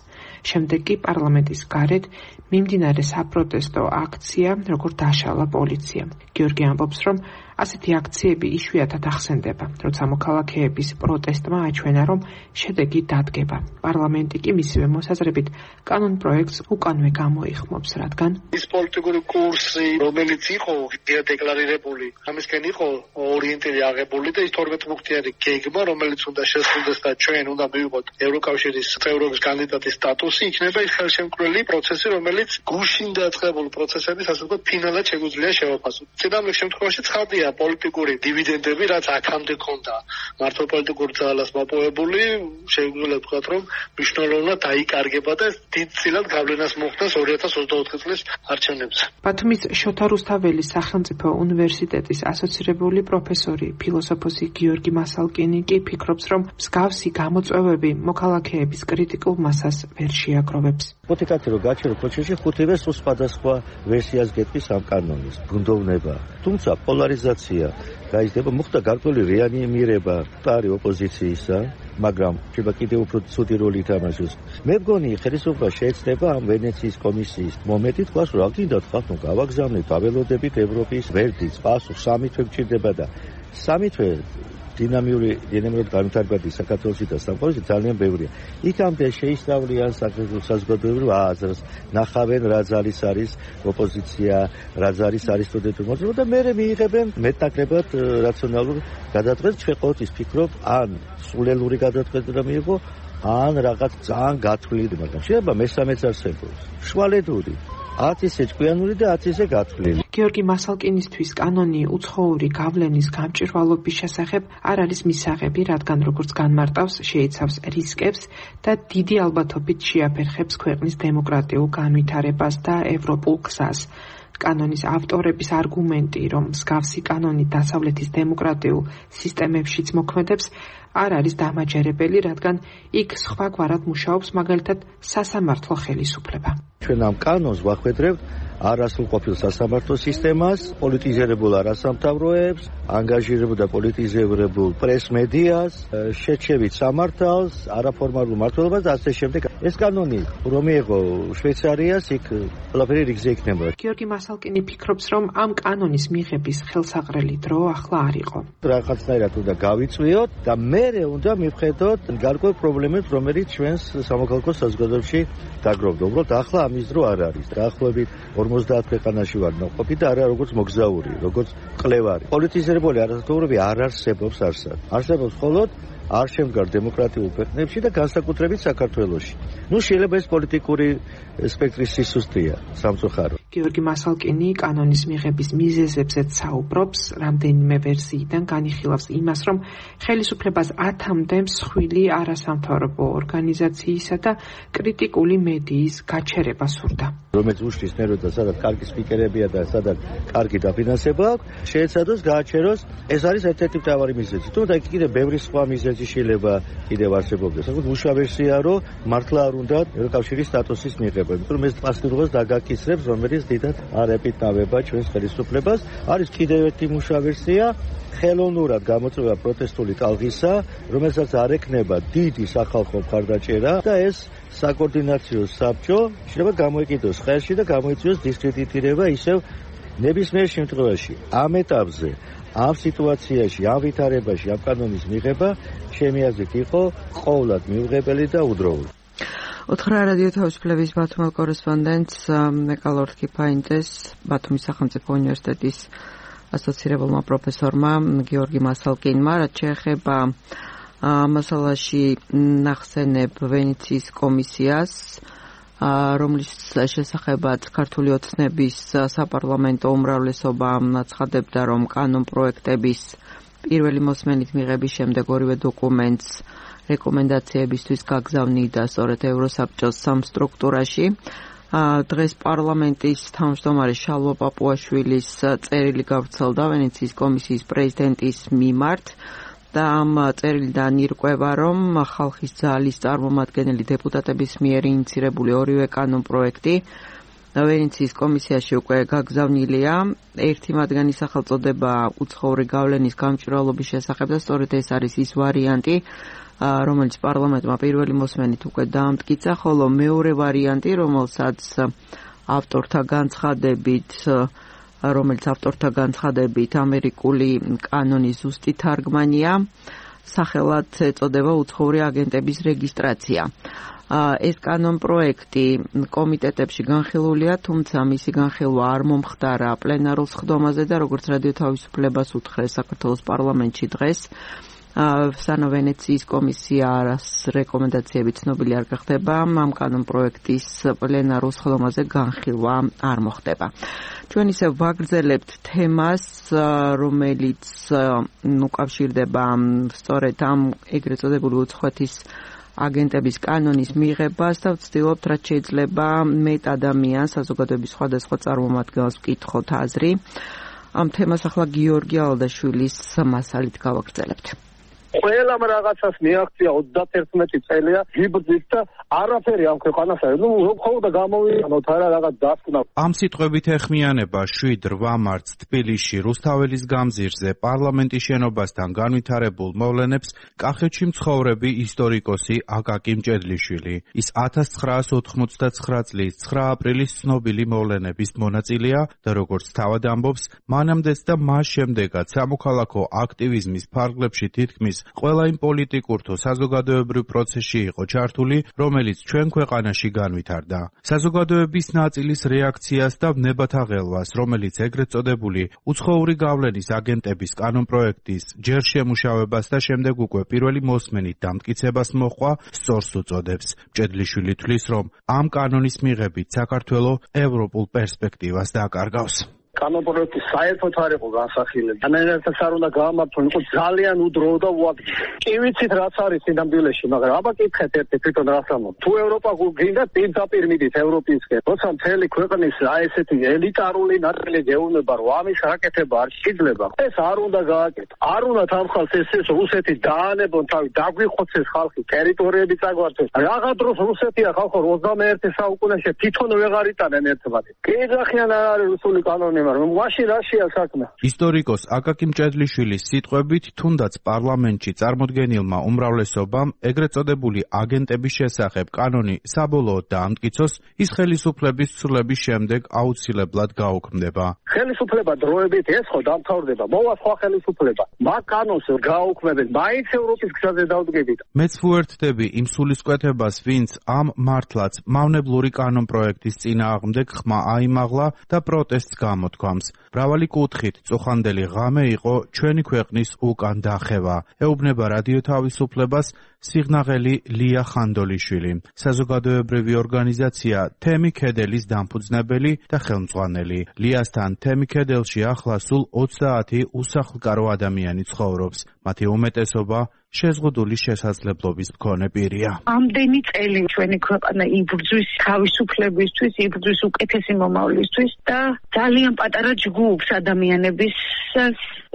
შემდეგ კი პარლამენტის გარეთ მიმდინარე საპროტესტო აქცია, როგორ დაშალა პოლიცია. გიორგი ამბობს, რომ ასეთი აქციები იშვიათად ახსენდება, როცა მოქალაქეების პროტესტმა აჩვენა, რომ შედეგი დადგება. პარლამენტი კი მისივე მოსაზრებით კანონპროექტს უკანვე გამოიხმობს, რადგან ის პოლიტიკური კურსი, რომელიც იყო დეკლარირებული, ამისკენ იყო ორიენტირი აღებული და ის 12 პუნქტიანი გეგმა, რომელიც უნდა შესრულდეს და ჩვენ უნდა მივიღოთ ევროკავშირის წევრობის კანდიდატის სტატუსი, იქნება ის ხელშემკრელი პროცესი, რომელიც გუშინ დაწყებულ პროცესების ასე ვთქვათ ფინალად შეგვიძლია შევაფასოთ. წინამორბედ შემთხვევაში ცხადია პოლიტიკური დივიდენდები, რაც აქამდე ქონდა მართო პოლიტიკურ ძალას მოპოვებული, შეგვიძლია ვთქვათ, რომ მნიშვნელოვნად დაიკარგება და დიდწილად გავლენას მოხდას 2024 წლის არჩევნებზე. ბათუმის შოთა რუსთაველის სახელმწიფო უნივერსიტეტის ასოცირებული პროფესორი, ფილოსოფოსი გიორგი მასალკინი კი ფიქრობს, რომ მსგავსი გამოწვევები მოქალაქეების კრიტიკულ მასას ვერ შეაგროვებს. მოდით რომ გაჩვენო პროცესში ხუთივე სხვადასხვა ვერსიას გეტყვის ამ კანონის ბუნდოვნება. თუმცა პოლარიზაცია გაიზრდება, მოხდა გარკვეული რეანიმირება ტარი ოპოზიციისა, მაგრამ შეიძლება კიდევ უფრო ცუდი როლი ითამაშოს. მე მგონი ხელისუფლება შეეცდება ამ ვენეციის კომისიის მომენტით თქვას, რომ გინდათ ხალხო გავაგზავნეთ, აველოდებით ევროპის ვერდიც, პასუხ სამი თვე გჭირდება და სამი თვე დინამიურად განვითარებადი საქართველოსი და სამყაროში ძალიან ბევრია. იქამდე შეისწავლიან საქართველოს საზოგადოებრივ აზრს, ნახავენ რა ძალის არის ოპოზიცია, რა ძალის არის სტუდენტური მოძრაობა და მერე მიიღებენ მეტნაკლებად რაციონალურ გადაწყვეტს. ჩვენ ყოველთვის ვფიქრობ, ან სულელური გადაწყვეტა მიიღო, ან რაღაც ძალიან გათვლილი, მაგრამ შეიძლება მესამეც არსებობს. შუალედური 10 ისე ჭკვიანური და 10 ისე გათვლილი. გიორგი მასალკინისთვის კანონი უცხოური გავლენის გამჭვირვალობის შესახებ არ არის მისაღები, რადგან როგორც განმარტავს, შეიცავს რისკებს და დიდი ალბათობით შეაფერხებს ქვეყნის დემოკრატიულ განვითარებას და ევროპულ გზას. კანონის ავტორების არგუმენტი, რომ მსგავსი კანონი დასავლეთის დემოკრატიულ სისტემებშიც მოქმედებს, არ არის დამაჯერებელი, რადგან იქ სხვაგვარად მუშაობს მაგალითად სასამართლო ხელისუფლება. ჩვენ ამ კანონს ვახვედრებთ არასრულყოფილ სასამართლო სისტემას, პოლიტიზირებულ არასამთავროებს, ანგაჟირებულ და პოლიტიზირებულ პრეს-მედიას, შეჩევით სამართალს, არაფორმალურ მმართველობას და ასე შემდეგ. ეს კანონი რომ მიიღო შვეიცარიას, იქ ყველაფერი რიგზე იქნება. გიორგი მასალკინი ფიქრობს, რომ ამ კანონის მიღების ხელსაყრელი დრო ახლა არ იყო. რაღაცნაირად უნდა გავიწვიოთ და მერე უნდა მივხედოთ გარკვეულ პრობლემებს, რომელიც ჩვენს სამოქალაქო საზოგადოებაში დაგროვდა. უბრალოდ ახლა ამის დრო არ არის. დაახლოებით 50 ქვეყანაში ვარ ნაყოფი და არა როგორც მოგზაური, როგორც მკვლევარი. პოლიტიზირებული არასამთავროები არ არსებობს არსად. არსებობს მხოლოდ არ შემდგარ დემოკრატიულ ქვეყნებში და განსაკუთრებით საქართველოში. შეიძლება ეს პოლიტიკური სპექტრის სისუსტეა სამწუხაროდ. გიორგი მასალკინი კანონის მიღების მიზეზებზეც საუბრობს, რამდენიმე ვერსიიდან განიხილავს იმას, რომ ხელისუფლებას 10-მდე მსხვილი არასამთავრობო ორგანიზაციისა და კრიტიკული მედიის გაჩერება სურდა. რომელიც უშლის ნერვებს და სადაც კარგი სპიკერებია და სადაც კარგი დაფინანსება აქვს, შეეცადოს გააჩეროს. ეს არის ერთ-ერთი მთავარი მიზეზი. თუმცა იქ კიდევ ბევრი სხვა მიზეზი შეიძლება კიდევ არსებობდეს. საკუთარ უშუალო ვერსია, რომ მართლა არ უნდა ევროკავშირის სტატუსის მიღება, იმიტომ რომ ეს პასუხისმგებლობას დაგაკისრებს, რომელიც დიდად არ ეპიტავება ჩვენს ხელისუფლებას. არის კიდევ ერთი უშუალო ვერსია, ხელოვნურად გამოწვევა პროტესტული ტალღისა, რომელსაც არ ექნება დიდი სახალხო მხარდაჭერა და ეს საკოორდინაციო საბჭო შეიძლება გამოიკიდოს ხელში და გამოიწვიოს დისკრედიტირება ისევ ნებისმიერ შემთხვევაში. ამ ეტაპზე, ამ სიტუაციაში, ამ ვითარებაში, ამ კანონის მიღება ჩემი აზრით იყო ყოვლად მიუღებელი და უდროული. ოთხრა რადიო თავისუფლების ბათუმელ კორესპონდენტს მეკალორდ კიფაინძეს ბათუმის სახელმწიფო უნივერსიტეტის ასოცირებულმა პროფესორმა გიორგი მასალკინმა, რაც შეეხება მასალაში ნახსენებ ვენეციის კომისიას, რომლის შესახებაც ქართული ოცნების საპარლამენტო უმრავლესობა აცხადებდა, რომ კანონ პროექტების პირველი მოსმენით მიღების შემდეგ ორივე დოკუმენტს რეკომენდაციებისთვის გაგზავნიდა სწორედ ევროსაბჭოს სამ სტრუქტურაში. დღეს პარლამენტის თავმჯდომარე შალვა პაპუაშვილის წერილი გავრცელდა ვენეციის კომისიის პრეზიდენტის მიმართ და ამ წერილიდან ირკვევა, რომ ხალხის ძალის წარმომადგენელი დეპუტატების მიერ ინიცირებული ორივე კანონ პროექტი ვენეციის კომისიაში უკვე გაგზავნილია. ერთი მათგანი სახელწოდება უცხოური გავლენის გამჭვირვალობის შესახებ და სწორედ ეს არის ის ვარიანტი, რომელიც პარლამენტმა პირველი მოსმენით უკვე დაამტკიცა, ხოლო მეორე ვარიანტი, რომელიც ავტორთა განცხადებით ამერიკული კანონის ზუსტი თარგმანია, სახელად ეწოდება უცხოური აგენტების რეგისტრაცია. ეს კანონ პროექტი კომიტეტებში განხილულია, თუმცა მისი განხილვა არ მომხდარა პლენარულ სხდომაზე და როგორც რადიო თავისუფლებას უთხრეს საქართველოს პარლამენტში დღეს, სანამ ვენეციის კომისიას რეკომენდაციები ცნობილი არ გახდება, ამ კანონ პროექტის პლენარულ სხდომაზე განხილვა არ მოხდება. ჩვენ ისე ვაგრძელებთ თემას, რომელიც უკავშირდება სწორედ ამ ეგრეთ წოდებული უცხოეთის აგენტების კანონის მიღებას და ვცდილობთ, რაც შეიძლება მეტ ადამიანს, საზოგადოების სხვადასხვა წარმომადგენელს ვკითხოთ აზრი. ამ თემას ახლა გიორგი ალდაშვილის მასალით გავაგრძელებთ. ყველამ რაღაცას მიაღწია 31 წელია გიბრძით და არაფერი ამ ქვეყანას არ მხოლოდ გამოვიანოთ არა რაღაც დასკვნა. ამ სიტყვებით ეხმიანება 7-8 მარტს თბილისში რუსთაველის გამზირზე პარლამენტის შენობასთან განვითარებულ მოვლენებს კახეთში მცხოვრები ისტორიკოსი აკაკი მჭედლიშვილი. ის 1989 წლის 9 აპრილის ცნობილი მოვლენების მონაწილეა და როგორც თავად ამბობს, მანამდეც და მას შემდეგაც სამოქალაქო აქტივიზმის ფარგლებში თითქმის ყველა იმ პოლიტიკურ თუ საზოგადოებრივ პროცესში იყო ჩართული, რომელიც ჩვენ ქვეყანაში განვითარდა. საზოგადოების ნაწილის რეაქციას და ვნებათა ღელვას, რომელიც ეგრეთ წოდებული უცხოური გავლენის აგენტების კანონპროექტის ჯერ შემუშავებას და შემდეგ უკვე პირველი მოსმენით დამტკიცებას მოჰყვა, სწორს უწოდებს. მჭედლიშვილი თვლის, რომ ამ კანონის მიღებით საქართველო ევროპულ პერსპექტივას დაკარგავს. კანონპროექტი საერთოდ არ იყო განსახილებელი. ანალიზასაც არ უნდა გაამართონ, იყო ძალიან უდრო და უადგილო. კი ვიცით რაც არის სინამდვილეში, მაგრამ აბა კითხეთ ერთი თვითონ რას ამბობ. თუ ევროპა გინდა პირდაპირ მიდით ევროპისკენ, როცა მთელი ქვეყნის ესეთი ელიტარული ნაწილი გეუბნება, რომ ამის რაკეთება არ შეიძლება, ეს არ უნდა გააკეთო. არ უნდა ამ ხალხს ეს რუსეთი დაანებონ თავი, დაგვიხოცეს ხალხი, ტერიტორიები წაგვართეს. რაღა დროს რუსეთია ხალხო 21 საუკუნეში თვითონ ვეღარ იტანენ ერთმანეთს. კი ეძახიან არ არის რუსული კანონი. ისტორიკოს აკაკი მჭედლიშვილის სიტყვებით, თუნდაც პარლამენტში წარმოდგენილმა უმრავლესობამ ეგრეთ წოდებული აგენტების შესახებ კანონი საბოლოოდ დაამტკიცოს, ის ხელისუფლების ცვლილების შემდეგ აუცილებლად გაუქმდება. ხელისუფლება დროებით ეს ხო დამთავრდება, მოვა სხვა ხელისუფლება. მაგ კანონს გაუქმებენ, მაინც ევროპის გზაზე დავდგებით. მეც ვუერთდები იმ სულისკვეთებას, ვინც ამ მართლაც მავნებლური კანონპროექტის წინააღმდეგ ხმა აიმაღლა და პროტესტს გამოთქვამს. მრავალი კუთხით წუხანდელი ღამე იყო ჩვენი ქვეყნის უკან დახევა. ეუბნება რადიო თავისუფლებას სიღნაღელი ლია ხანდოლიშვილი, საზოგადოებრივი ორგანიზაცია თემი ქედელის დამფუძნებელი და ხელმძღვანელი. ליასთან თემი ქედელში ახლა სულ 30 უსახლკარო ადამიანი ცხოვრობს. მათი უმეტესობა შეზღუდული შესაძლებლობის მქონე პირია. ამდენი წელი ჩვენი ქვეყანა იბრძვის თავისუფლებისთვის, იბრძვის უკეთესი მომავლისთვის და ძალიან პატარა ჯგუფს ადამიანების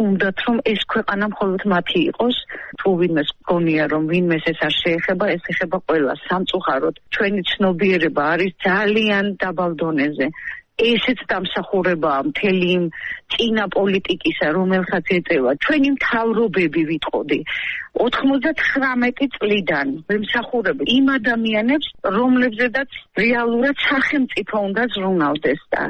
უნდათ რომ ეს ქვეყანა მხოლოდ მათი იყოს. თუ ვინმეს გონია რომ ვინმეს ეს არ შეეხება, ეს ეხება ყველას. სამწუხაროდ ჩვენი ცნობიერება არის ძალიან დაბალ დონეზე. ესეც დამსახურებაა მთელი იმ წინა პოლიტიკისა, რომელსაც ეწევა ჩვენი მთავრობები ვიტყოდი 99 წლიდან ვიმსახურებ იმ ადამიანებს, რომლებზედაც რეალურად სახელმწიფო უნდა ზრუნავდეს და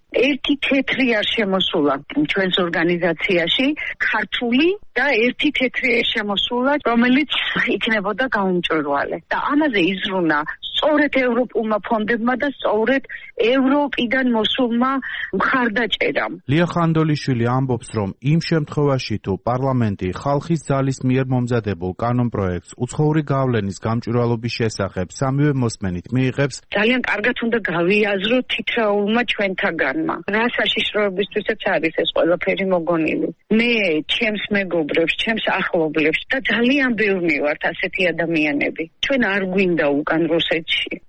ერთი თეთრი არ შემოსულა ჩვენს ორგანიზაციაში, ქართული და ერთი თეთრი შემოსულა, რომელიც იქნებოდა გაუმჭვირვალე. და ამაზე იზრუნა სწორედ ევროპულმა ფონდებმა და სწორედ ევროპიდან მოსულმა მხარდაჭერამ. ლია ხანდოლიშვილი ამბობს, რომ იმ შემთხვევაში თუ პარლამენტი ხალხის ძალის მიერ მომზადებულ კანონპროექტს უცხოური გავლენის გამჭვირვალობის შესახებ სამივე მოსმენით მიიღებს, ძალიან კარგად უნდა გავიაზროთ თითოეულმა ჩვენთაგანმა. რა საშიშროებისთვისაც არის ეს ყველაფერი მოგონილი. მე ჩემს მეგობრებს, ჩემს ახლობლებს და ძალიან ბევრი ვართ ასეთი ადამიანები. ჩვენ არ გვინდა უკან რუსეთში.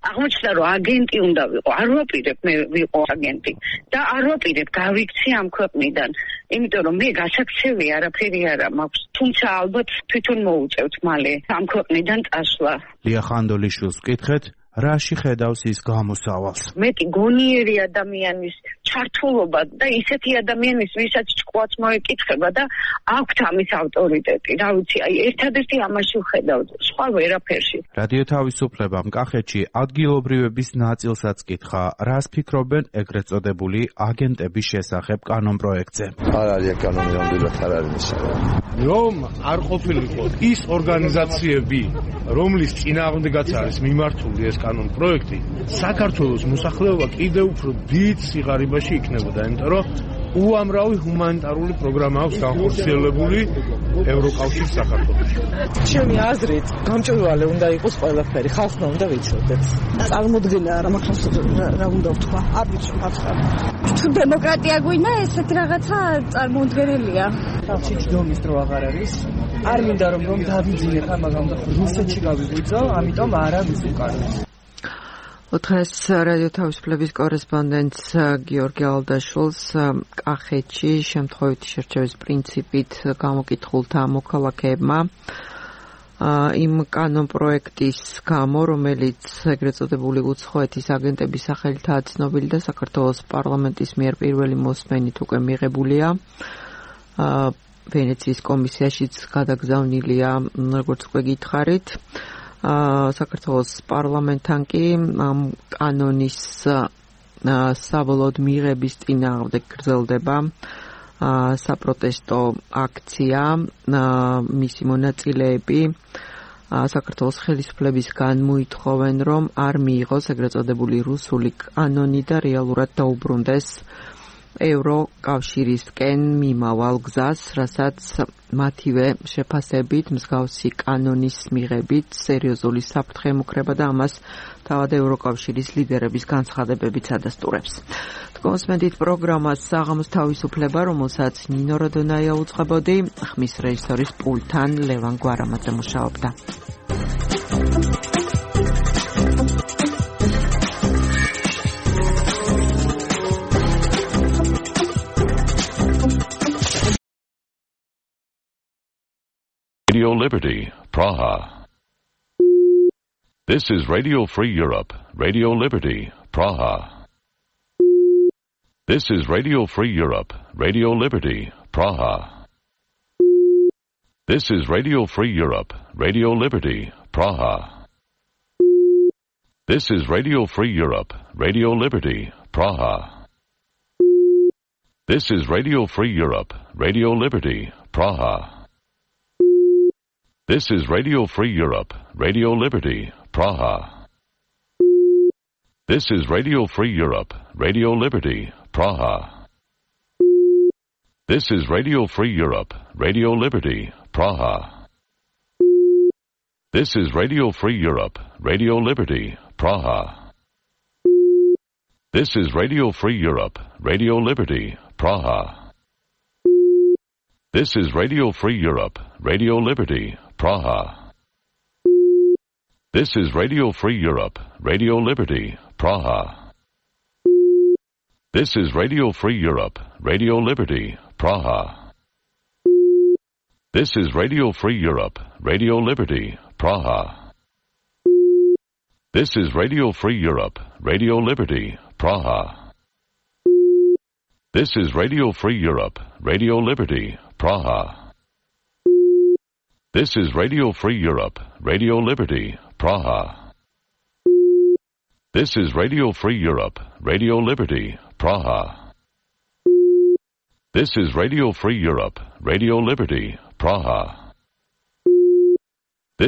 აღმოჩნდა რომ აგენტი უნდა ვიყო. არ ვაპირებ მე ვიყო აგენტი და არ ვაპირებ გავიქცე ამ ქვეყნიდან. იმიტომ რომ მე გასაქცევი არაფერი არ მაქვს. თუმცა ალბათ თვითონ მოუწევთ მალე ამ ქვეყნიდან წასვლა. ლია ხანდოლიშვილს ვკითხეთ, რაში ხედავს ის გამოსავალს? მეტი გონიერი ადამიანის ჩართულობა და ისეთი ადამიანის, ვისაც ჭკუაც მოეკითხება და აქვთ ამის ავტორიტეტი. რა ვიცი, აი ერთადერთი ამაში ვხედავ, სხვა ვერაფერში. რადიო თავისუფლებამ კახეთში ადგილობრივების ნაწილსაც კითხა, რას ფიქრობენ ეგრეთ წოდებული აგენტების შესახებ კანონპროექტზე. არ არის კანონი, ნამდვილად არ არის მისაღები. რომ არ ყოფილიყო ის ორგანიზაციები, რომლის წინააღმდეგაც არის მიმართული ეს კანონპროექტი, საქართველოს მოსახლეობა კიდევ უფრო დიდ სიღარიბაში იქნებოდა, იმიტომ რომ უამრავი ჰუმანიტარული პროგრამა აქვს განხორციელებული ევროკავშირის საქართველოში. ჩემი აზრით, გამჭვირვალე უნდა იყოს ყველაფერი, ხალხმა უნდა ვიცოდეთ. წარმოუდგენია რა მაგას რა უნდა ვთქვა. არ ვიცი ხალხმა. თუ დემოკრატია გვინდა, ესეთი რაღაცა წარმოუდგენელია. ხალხში ჯდომის დრო აღარ არის. არ მინდა რომ დავიძინებ ამაგამ და რუსეთში გავიღვიძო, ამიტომ არა ვიცი უკან. დღეს რადიო თავისუფლების კორესპონდენტს გიორგი ალდაშვილს კახეთში შემთხვევითი შერჩევის პრინციპით გამოკითხულთა მოქალაქეებმა იმ კანონპროექტის გამო, რომელიც ეგრეთ წოდებული უცხოეთის აგენტების სახელითაა ცნობილი და საქართველოს პარლამენტის მიერ პირველი მოსმენით უკვე მიღებულია. ვენეციის კომისიაშიც გადაგზავნილია, როგორც უკვე გითხარით. საქართველოს პარლამენტთან კი ამ კანონის საბოლოოდ მიღების წინააღმდეგ გრძელდება საპროტესტო აქცია. მისი მონაწილეები საქართველოს ხელისუფლებისგან მოითხოვენ, რომ არ მიიღოს ეგრეთ წოდებული რუსული კანონი და რეალურად დაუბრუნდეს ევროკავშირისკენ მიმავალ გზას, რასაც მათივე შეფასებით მსგავსი კანონის მიღებით სერიოზული საფრთხე ემუქრება და ამას თავად ევროკავშირის ლიდერების განცხადებებიც ადასტურებს. კონსმენდით პროგრამას საღამოს თავისუფლება, რომელსაც ნინო როდონაია უწყებოდი, ხმის რეჟისორის პულტთან ლევან გვარამაძე მუშაობდა. Radio Liberty, Praha. This is Radio Free Europe, Radio Liberty, Praha. This is Radio Free Europe, Radio Liberty, Praha. This is Radio Free Europe, Radio Liberty, Praha. This is Radio Free Europe, Radio Liberty, Praha. This is Radio Free Europe, Radio Liberty, Praha. This is Radio Free Europe, Radio Liberty, Praha. This is Radio Free Europe, Radio Liberty, Praha. This is Radio Free Europe, Radio Liberty, Praha. This is Radio Free Europe, Radio Liberty, Praha. This is Radio Free Europe, Radio Liberty, Praha. This is Radio Free Europe, Radio Liberty, Praha. This is Radio Free Europe, Radio Liberty, Praha. This is Radio Free Europe, Radio Liberty, Praha. This is Radio Free Europe, Radio Liberty, Praha. This is Radio Free Europe, Radio Liberty, Praha. This is Radio Free Europe, Radio Liberty, Praha. This is Radio Free Europe, Radio Liberty, Praha. This is Radio Free Europe, Radio Liberty, Praha. This is Radio Free Europe, Radio Liberty, Praha. This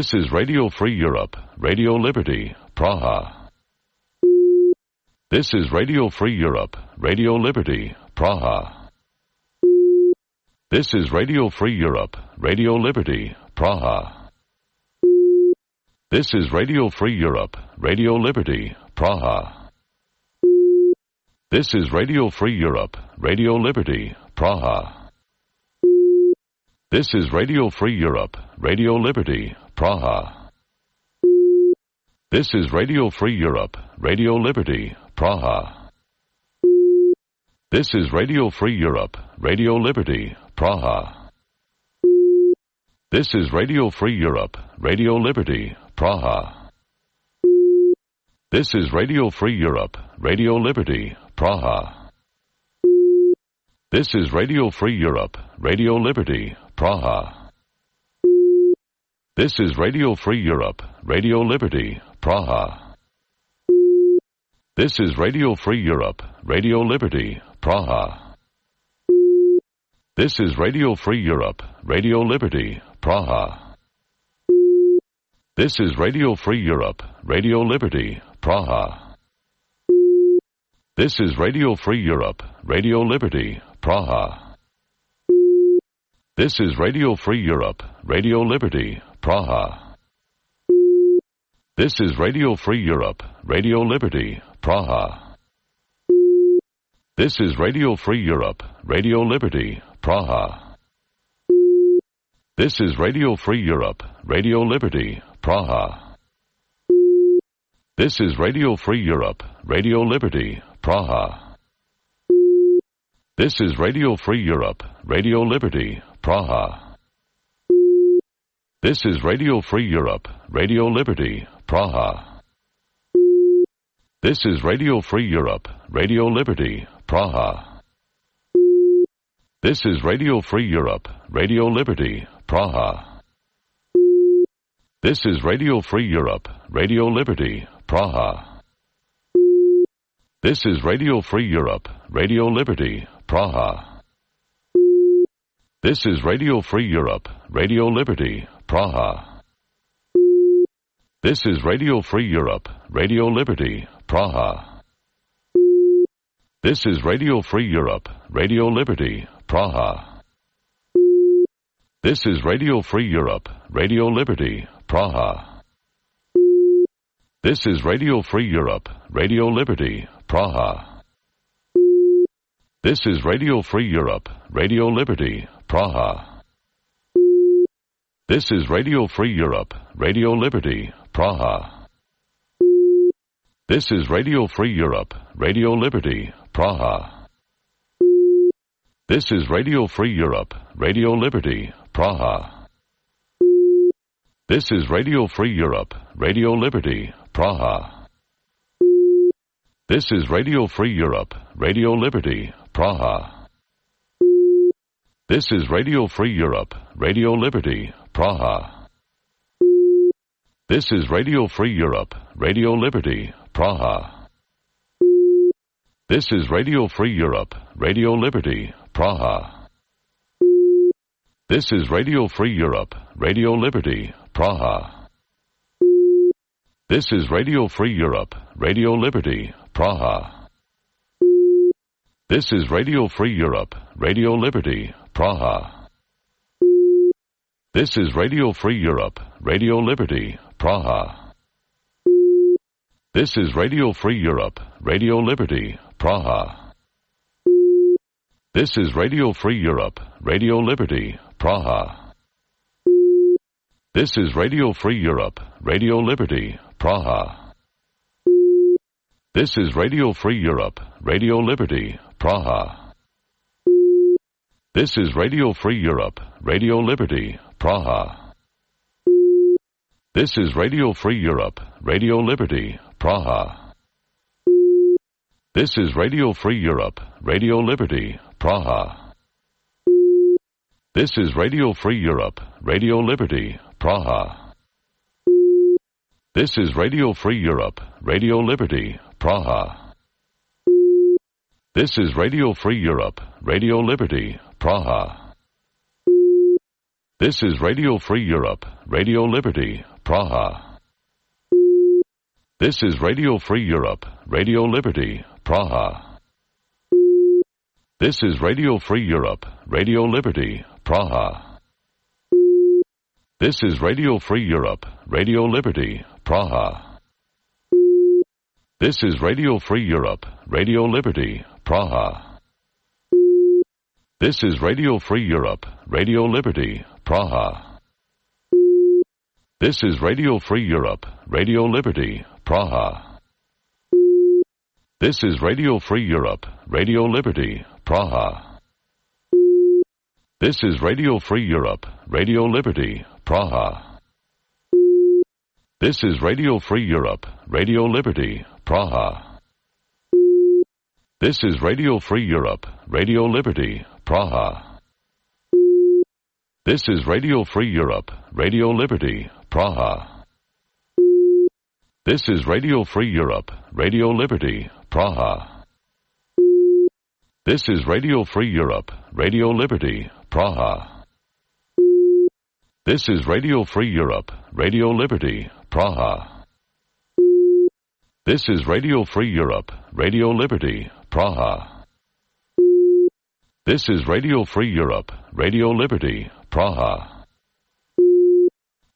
is Radio Free Europe, Radio Liberty, Praha. This is Radio Free Europe, Radio Liberty, Praha. This is Radio Free Europe, Radio Liberty, Praha. This is Radio Free Europe, Radio Liberty, Praha. This is Radio Free Europe, Radio Liberty, Praha. This is Radio Free Europe, Radio Liberty, Praha. This is Radio Free Europe, Radio Liberty, Praha. This is Radio Free Europe, Radio Liberty, Praha. This is Radio Free Europe, Radio Liberty, Praha. This is Radio Free Europe, Radio Liberty, Praha. This is Radio Free Europe, Radio Liberty, Praha. This is Radio Free Europe, Radio Liberty, Praha. This is Radio Free Europe, Radio Liberty, Praha. This is Radio Free Europe, Radio Liberty, Praha. This is Radio Free Europe, Radio Liberty, Praha. This is Radio Free Europe, Radio Liberty, Praha. This is Radio Free Europe, Radio Liberty, Praha. This is Radio Free Europe, Radio Liberty, Praha. This is Radio Free Europe, Radio Liberty, Praha. This is Radio Free Europe, Radio Liberty, Praha. This is Radio Free Europe, Radio Liberty, Praha. This is Radio Free Europe, Radio Liberty, Praha. This is Radio Free Europe, Radio Liberty, Praha. This is Radio Free Europe, Radio Liberty, Praha. This is Radio Free Europe, Radio Liberty, Praha. This is Radio Free Europe, Radio Liberty, Praha. This is Radio Free Europe, Radio Liberty, Praha. This is Radio Free Europe, Radio Liberty, Praha. This is Radio Free Europe, Radio Liberty, Praha. This is Radio Free Europe, Radio Liberty, Praha. This is Radio Free Europe, Radio Liberty, Praha. This is Radio Free Europe, Radio Liberty, Praha. This is Radio Free Europe, Radio Liberty, Praha. This is Radio Free Europe, Radio Liberty, Praha. This is Radio Free Europe, Radio Liberty, Praha. This is Radio Free Europe, Radio Liberty, Praha. This is Radio Free Europe, Radio Liberty, Praha. This is Radio Free Europe, Radio Liberty, Praha. This is Radio Free Europe, Radio Liberty, Praha. This is Radio Free Europe, Radio Liberty, Praha. This is Radio Free Europe, Radio Liberty, Praha. This is Radio Free Europe, Radio Liberty, Praha. This is Radio Free Europe, Radio Liberty, Praha. This is Radio Free Europe, Radio Liberty, Praha. This is Radio Free Europe, Radio Liberty, Praha. This is Radio Free Europe, Radio Liberty, Praha. This is Radio Free Europe, Radio Liberty, Praha. This is Radio Free Europe, Radio Liberty, Praha. This is Radio Free Europe, Radio Liberty, Praha. This is Radio Free Europe, Radio Liberty, Praha. This is Radio Free Europe, Radio Liberty, Praha. This is Radio Free Europe, Radio Liberty, Praha. This is Radio Free Europe, Radio Liberty, Praha. This is Radio Free Europe, Radio Liberty, Praha. This is Radio Free Europe, Radio Liberty, Praha. This is Radio Free Europe, Radio Liberty, Praha. This is Radio Free Europe, Radio Liberty, Praha. This is Radio Free Europe, Radio Liberty, Praha. This is Radio Free Europe, Radio Liberty, Praha. This is Radio Free Europe, Radio Liberty, Praha. This is Radio Free Europe, Radio Liberty, Praha. This is Radio Free Europe, Radio Liberty, Praha. This is Radio Free Europe, Radio Liberty, Praha. This is Radio Free Europe, Radio Liberty, Praha. This is Radio Free Europe, Radio Liberty, Praha. This is Radio Free Europe, Radio Liberty, Praha. This is Radio Free Europe, Radio Liberty, Praha. This is Radio Free Europe, Radio Liberty, Praha. This is Radio Free Europe, Radio Liberty, Praha. This is Radio Free Europe, Radio Liberty, Praha. This is Radio Free Europe, Radio Liberty, Praha. This is Radio Free Europe, Radio Liberty, Praha.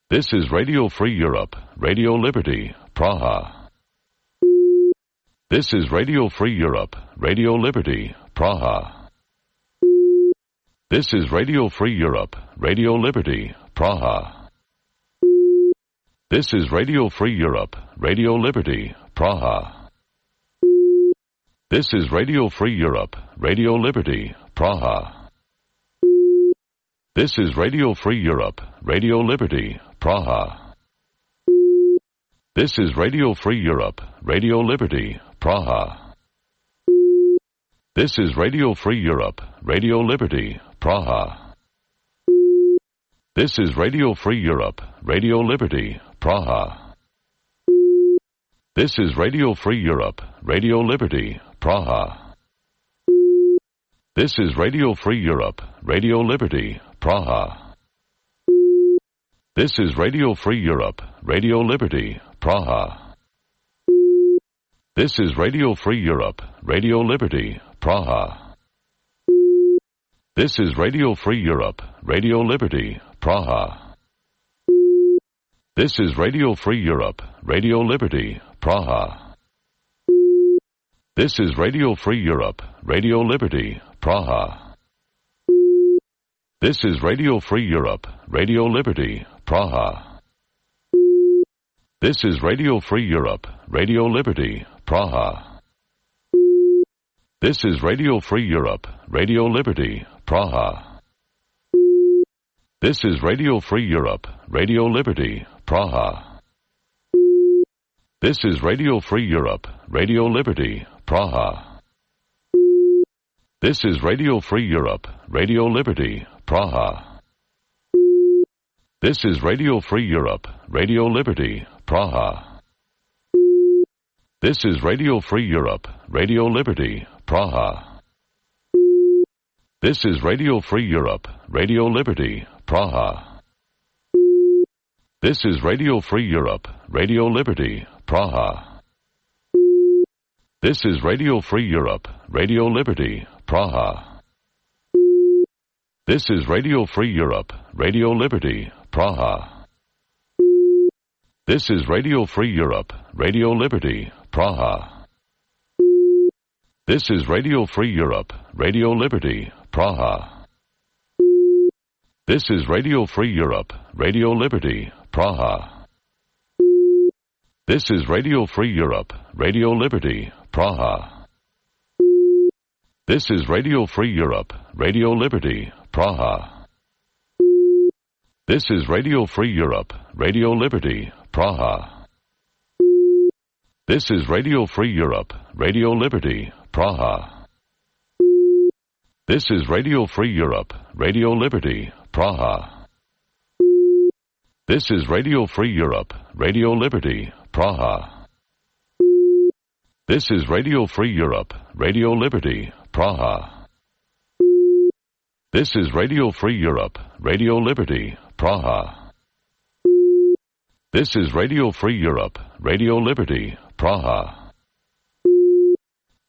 This is Radio Free Europe, Radio Liberty, Praha. This is Radio Free Europe, Radio Liberty, Praha. This is Radio Free Europe, Radio Liberty, Praha. This is Radio Free Europe, Radio Liberty, Praha. This is Radio Free Europe, Radio Liberty, Praha. This is Radio Free Europe, Radio Liberty, Praha. This is Radio Free Europe, Radio Liberty, Praha. This is Radio Free Europe, Radio Liberty, Praha. This is Radio Free Europe, Radio Liberty, Praha. This is Radio Free Europe, Radio Liberty, Praha. This is Radio Free Europe, Radio Liberty, Praha. This is Radio Free Europe, Radio Liberty, Praha. This is Radio Free Europe, Radio Liberty, Praha. This is Radio Free Europe, Radio Liberty, Praha. This is Radio Free Europe, Radio Liberty, Praha. This is Radio Free Europe, Radio Liberty, Praha. This is Radio Free Europe, Radio Liberty, Praha. This is Radio Free Europe, Radio Liberty, Praha. This is Radio Free Europe, Radio Liberty, Praha. This is Radio Free Europe, Radio Liberty, Praha. This is Radio Free Europe, Radio Liberty, Praha. This is Radio Free Europe, Radio Liberty, Praha. This is Radio Free Europe, Radio Liberty, Praha. This is Radio Free Europe, Radio Liberty, Praha. This is Radio Free Europe, Radio Liberty, Praha. This is Radio Free Europe, Radio Liberty, Praha. This is Radio Free Europe, Radio Liberty, Praha. This is Radio Free Europe, Radio Liberty, Praha. This is Radio Free Europe, Radio Liberty, Praha. This is Radio Free Europe, Radio Liberty, Praha. This is Radio Free Europe, Radio Liberty, Praha. This is Radio Free Europe, Radio Liberty, Praha. This is Radio Free Europe, Radio Liberty, Praha. This is Radio Free Europe, Radio Liberty, Praha. This is Radio Free Europe, Radio Liberty, Praha. This is Radio Free Europe, Radio Liberty, Praha. This is Radio Free Europe, Radio Liberty, Praha. This is Radio Free Europe, Radio Liberty, Praha. This is Radio Free Europe, Radio Liberty, Praha. This is Radio Free Europe, Radio Liberty, Praha.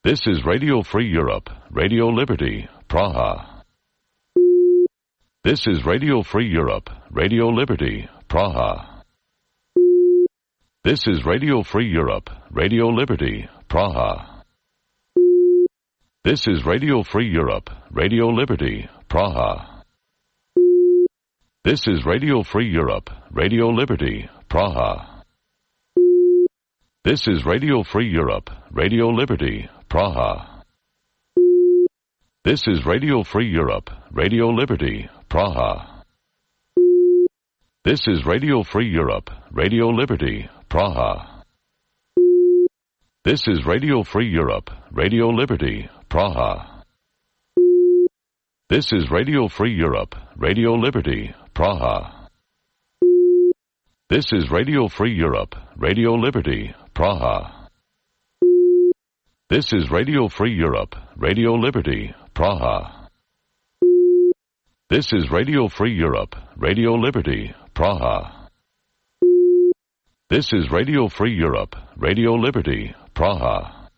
This is Radio Free Europe, Radio Liberty, Praha. This is Radio Free Europe, Radio Liberty, Praha. This is Radio Free Europe, Radio Liberty, Praha. This is Radio Free Europe, Radio Liberty, Praha. This is Radio Free Europe, Radio Liberty, Praha. This is Radio Free Europe, Radio Liberty, Praha. This is Radio Free Europe, Radio Liberty, Praha. This is Radio Free Europe, Radio Liberty, Praha. This is Radio Free Europe, Radio Liberty, Praha. This is Radio Free Europe, Radio Liberty, Praha. This is Radio Free Europe, Radio Liberty, Praha. This is Radio Free Europe, Radio Liberty, Praha. This is Radio Free Europe, Radio Liberty, Praha. This is Radio Free Europe, Radio Liberty, Praha.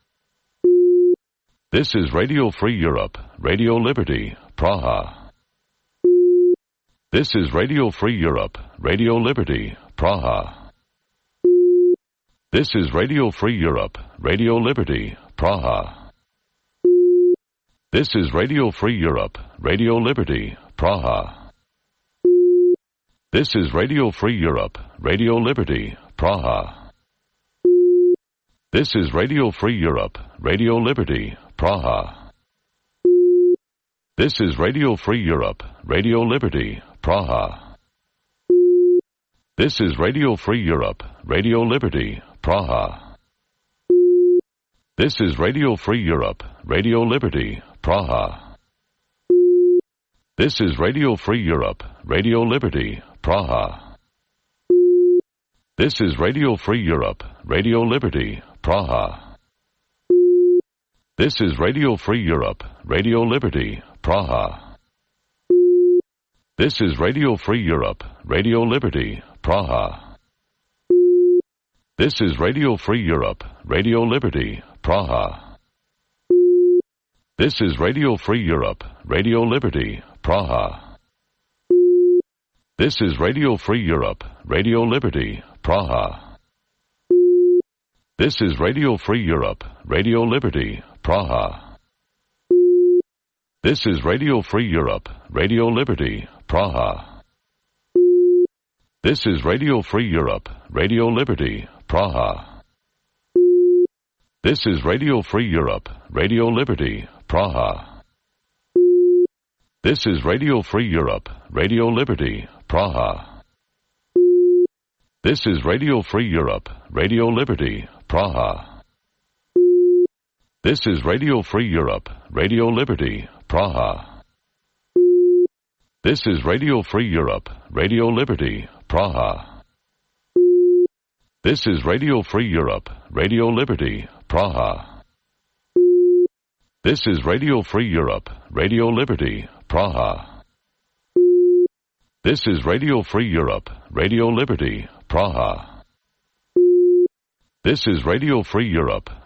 This is Radio Free Europe, Radio Liberty, Praha. This is Radio Free Europe, Radio Liberty, Praha. This is Radio Free Europe, Radio Liberty, Praha. This is Radio Free Europe, Radio Liberty, Praha. This is Radio Free Europe, Radio Liberty, Praha. This is Radio Free Europe, Radio Liberty, Praha. This is Radio Free Europe, Radio Liberty, Praha. This is Radio Free Europe, Radio Liberty, Praha. This is Radio Free Europe, Radio Liberty, Praha. This is Radio Free Europe, Radio Liberty, Praha. This is Radio Free Europe, Radio Liberty, Praha. This is Radio Free Europe, Radio Liberty, Praha. This is Radio Free Europe, Radio Liberty, Praha. This is Radio Free Europe, Radio Liberty, Praha. This is Radio Free Europe, Radio Liberty, Praha. This is Radio Free Europe, Radio Liberty, Praha. This is Radio Free Europe, Radio Liberty, Praha. This is Radio Free Europe, Radio Liberty, Praha. This is Radio Free Europe, Radio Liberty, Praha. This is Radio Free Europe, Radio Liberty, Praha. This is Radio Free Europe, Radio Liberty, Praha. This is Radio Free Europe, Radio Liberty, Praha. This is Radio Free Europe, Radio Liberty, Praha. This is Radio Free Europe, Radio Liberty, Praha. This is Radio Free Europe, Radio Liberty, Praha. This is Radio Free Europe, Radio Liberty, Praha. This is Radio Free Europe, Radio Liberty, Praha. This is Radio Free Europe,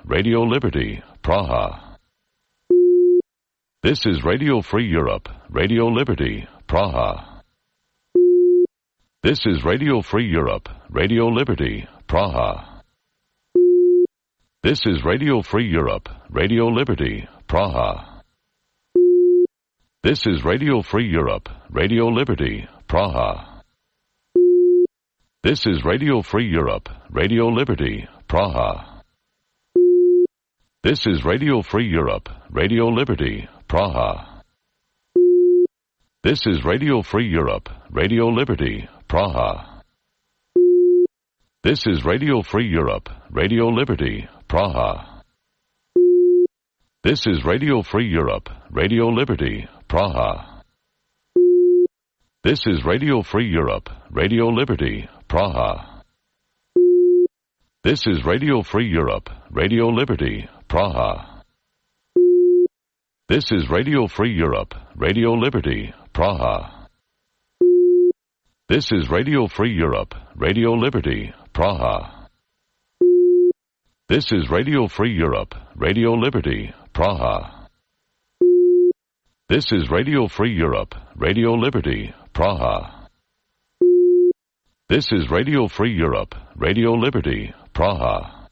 Radio Liberty, Praha. This is Radio Free Europe, Radio Liberty, Praha. This is Radio Free Europe, Radio Liberty, Praha. This is Radio Free Europe, Radio Liberty, Praha. This is Radio Free Europe, Radio Liberty, Praha. This is Radio Free Europe, Radio Liberty, Praha. This is Radio Free Europe, Radio Liberty, Praha. This is Radio Free Europe, Radio Liberty, Praha. This is Radio Free Europe, Radio Liberty, Praha. This is Radio Free Europe, Radio Liberty, Praha. This is Radio Free Europe, Radio Liberty, Praha. This is Radio Free Europe, Radio Liberty, Praha. This is Radio Free Europe, Radio Liberty, Praha. This is Radio Free Europe, Radio Liberty, Praha. This is Radio Free Europe, Radio Liberty, Praha. This is Radio Free Europe, Radio Liberty, Praha. This is Radio Free Europe, Radio Liberty, Praha.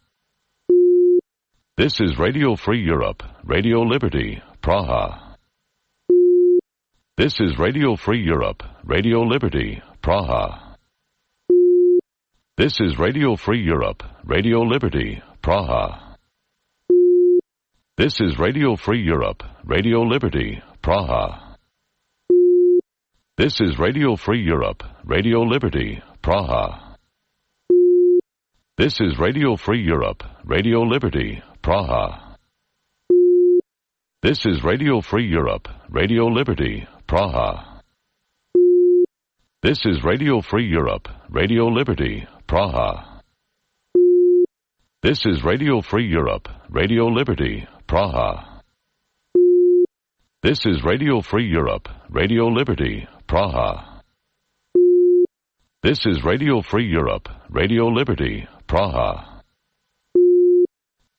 This is Radio Free Europe, Radio Liberty, Praha. This is Radio Free Europe, Radio Liberty, Praha. This is Radio Free Europe, Radio Liberty, Praha. This is Radio Free Europe, Radio Liberty, Praha. This is Radio Free Europe, Radio Liberty, Praha. This is Radio Free Europe, Radio Liberty, Praha. This is Radio Free Europe, Radio Liberty, Praha. This is Radio Free Europe, Radio Liberty, Praha. This is Radio Free Europe, Radio Liberty, Praha. This is Radio Free Europe, Radio Liberty, Praha. This is Radio Free Europe, Radio Liberty, Praha.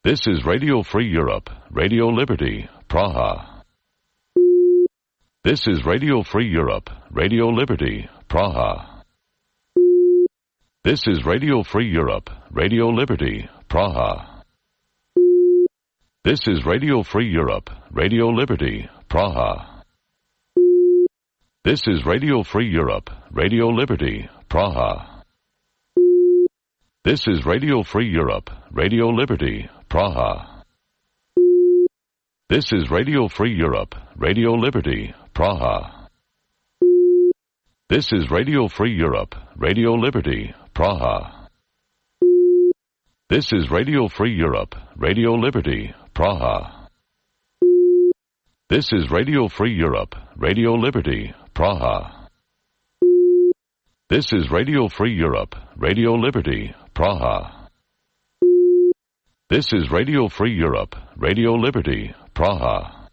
This is Radio Free Europe, Radio Liberty, Praha. This is Radio Free Europe, Radio Liberty, Praha. This is Radio Free Europe, Radio Liberty, Praha. This is Radio Free Europe, Radio Liberty, Praha. This is Radio Free Europe, Radio Liberty, Praha. This is Radio Free Europe, Radio Liberty, Praha. This is Radio Free Europe, Radio Liberty, Praha. This is Radio Free Europe, Radio Liberty, Praha. This is Radio Free Europe, Radio Liberty, Praha. This is Radio Free Europe, Radio Liberty, Praha. This is Radio Free Europe, Radio Liberty, Praha. This is Radio Free Europe, Radio Liberty, Praha.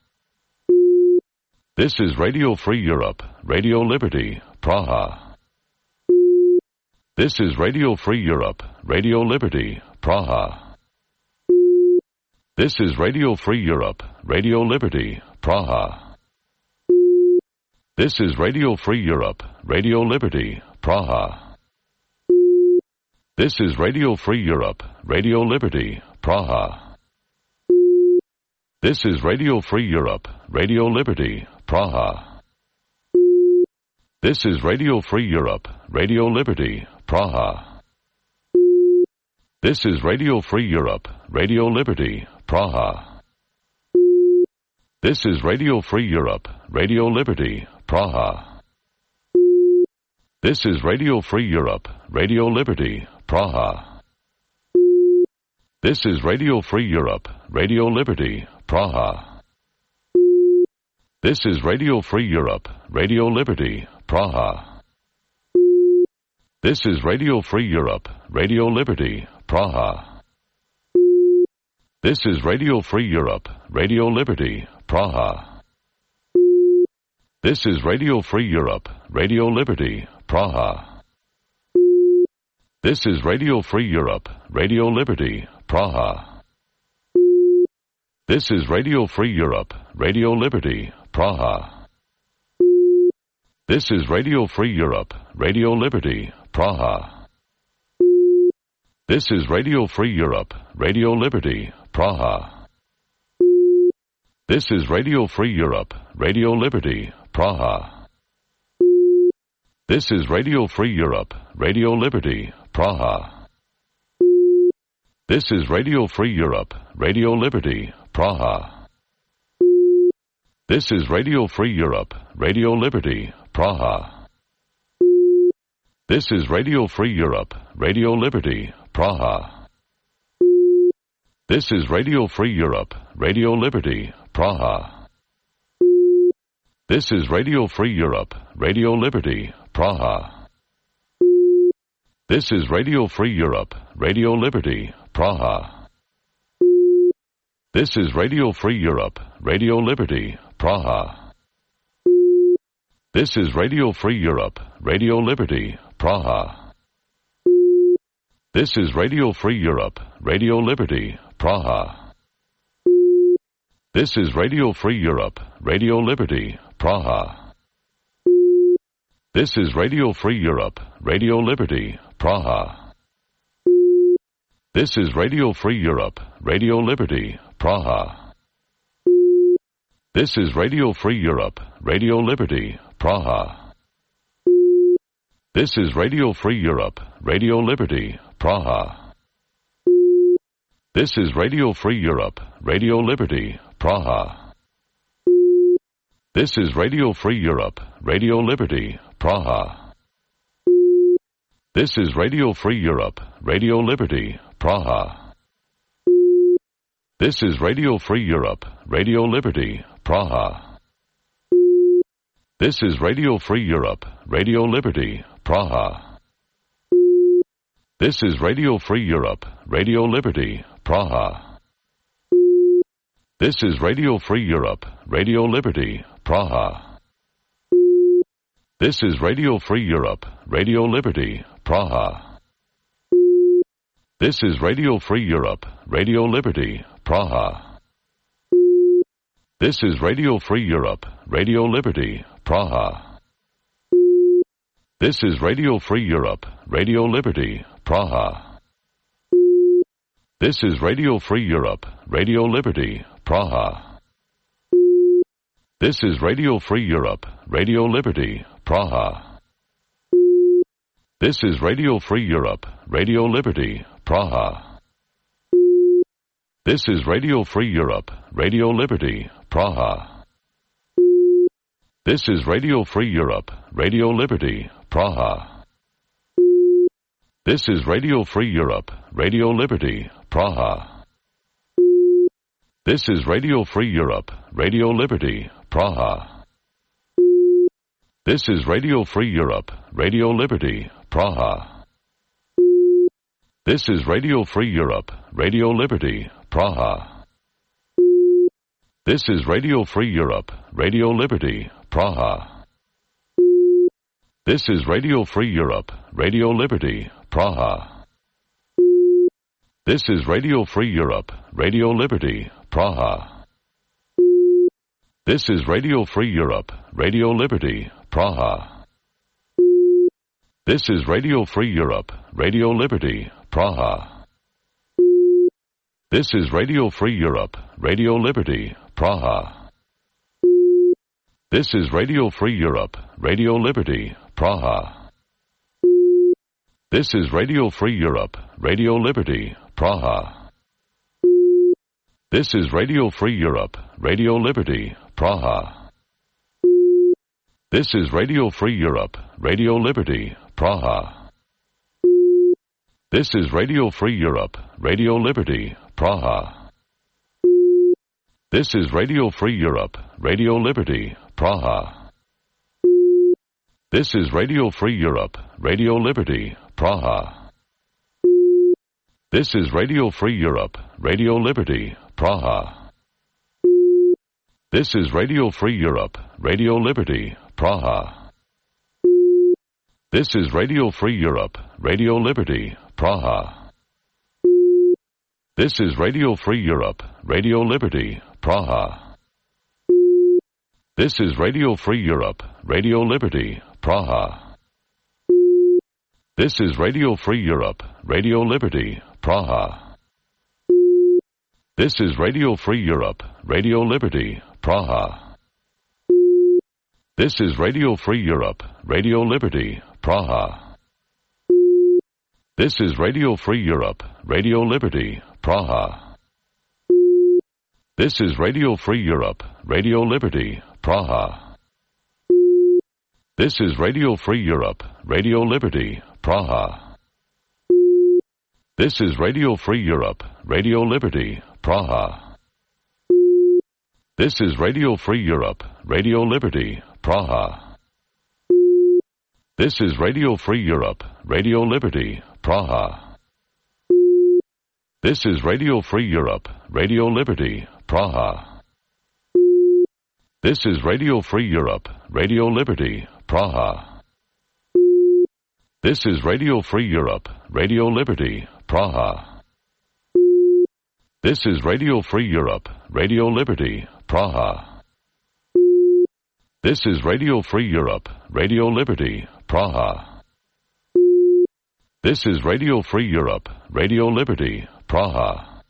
This is Radio Free Europe, Radio Liberty, Praha. This is Radio Free Europe, Radio Liberty, Praha. This is Radio Free Europe, Radio Liberty, Praha. This is Radio Free Europe, Radio Liberty, Praha. This is Radio Free Europe, Radio Liberty, Praha. This is Radio Free Europe, Radio Liberty, Praha. This is Radio Free Europe, Radio Liberty, Praha. This is Radio Free Europe, Radio Liberty, Praha. This is Radio Free Europe, Radio Liberty, Praha. This is Radio Free Europe, Radio Liberty, Praha. This is Radio Free Europe, Radio Liberty, Praha. This is Radio Free Europe, Radio Liberty, Praha. This is Radio Free Europe, Radio Liberty, Praha. This is Radio Free Europe, Radio Liberty, Praha. This is Radio Free Europe, Radio Liberty, Praha. This is Radio Free Europe, Radio Liberty, Praha. This is Radio Free Europe, Radio Liberty, Praha. This is Radio Free Europe, Radio Liberty, Praha. This is Radio Free Europe, Radio Liberty, Praha. This is Radio Free Europe, Radio Liberty, Praha. This is Radio Free Europe, Radio Liberty, Praha. This is Radio Free Europe, Radio Liberty, Praha. This is Radio Free Europe, Radio Liberty, Praha. This is Radio Free Europe, Radio Liberty, Praha. This is Radio Free Europe, Radio Liberty, Praha. This is Radio Free Europe, Radio Liberty, Praha. This is Radio Free Europe, Radio Liberty, Praha. This is Radio Free Europe, Radio Liberty, Praha. This is Radio Free Europe, Radio Liberty, Praha. This is Radio Free Europe, Radio Liberty, Praha. This is Radio Free Europe, Radio Liberty, Praha. This is Radio Free Europe, Radio Liberty, Praha. This is Radio Free Europe, Radio Liberty, Praha. This is Radio Free Europe, Radio Liberty, Praha. This is Radio Free Europe, Radio Liberty, Praha. This is Radio Free Europe, Radio Liberty, Praha. This is Radio Free Europe, Radio Liberty, Praha. This is Radio Free Europe, Radio Liberty, Praha. This is Radio Free Europe, Radio Liberty, Praha. This is Radio Free Europe, Radio Liberty, Praha. This is Radio Free Europe, Radio Liberty, Praha. This is Radio Free Europe, Radio Liberty, Praha. This is Radio Free Europe, Radio Liberty, Praha. This is Radio Free Europe, Radio Liberty, Praha. This is Radio Free Europe, Radio Liberty, Praha. This is Radio Free Europe, Radio Liberty, Praha. This is Radio Free Europe, Radio Liberty, Praha. This is Radio Free Europe, Radio Liberty, Praha. This is Radio Free Europe, Radio Liberty, Praha. This is Radio Free Europe, Radio Liberty, Praha. This is Radio Free Europe, Radio Liberty, Praha. This is Radio Free Europe, Radio Liberty, Praha. This is Radio Free Europe, Radio Liberty, Praha. This is Radio Free Europe, Radio Liberty, Praha. This is Radio Free Europe, Radio Liberty, Praha. This is Radio Free Europe, Radio Liberty, Praha. This is Radio Free Europe, Radio Liberty, Praha. This is Radio Free Europe, Radio Liberty, Praha. This is Radio Free Europe, Radio Liberty, Praha. This is Radio Free Europe, Radio Liberty, Praha. This is Radio Free Europe, Radio Liberty, Praha. This is Radio Free Europe, Radio Liberty, Praha. This is Radio Free Europe, Radio Liberty, Praha. This is Radio Free Europe, Radio Liberty, Praha. This is Radio Free Europe, Radio Liberty, Praha. This is Radio Free Europe, Radio Liberty, Praha. This is Radio Free Europe, Radio Liberty, Praha. This is Radio Free Europe, Radio Liberty, Praha. This is Radio Free Europe, Radio Liberty, Praha. This is Radio Free Europe, Radio Liberty, Praha. This is Radio Free Europe, Radio Liberty, Praha. This is Radio Free Europe, Radio Liberty, Praha. This is Radio Free Europe, Radio Liberty, Praha. This is Radio Free Europe, Radio Liberty, Praha. This is Radio Free Europe, Radio Liberty, Praha. This is Radio Free Europe, Radio Liberty, Praha. This is Radio Free Europe, Radio Liberty, Praha. This is Radio Free Europe, Radio Liberty, Praha. This is Radio Free Europe, Radio Liberty, Praha. This is Radio Free Europe, Radio Liberty, Praha. This is Radio Free Europe, Radio Liberty, Praha. This is Radio Free Europe, Radio Liberty, Praha. This is Radio Free Europe, Radio Liberty, Praha. This is Radio Free Europe, Radio Liberty, Praha. This is Radio Free Europe, Radio Liberty, Praha. This is Radio Free Europe, Radio Liberty, Praha. This is Radio Free Europe, Radio Liberty, Praha. This is Radio Free Europe, Radio Liberty, Praha.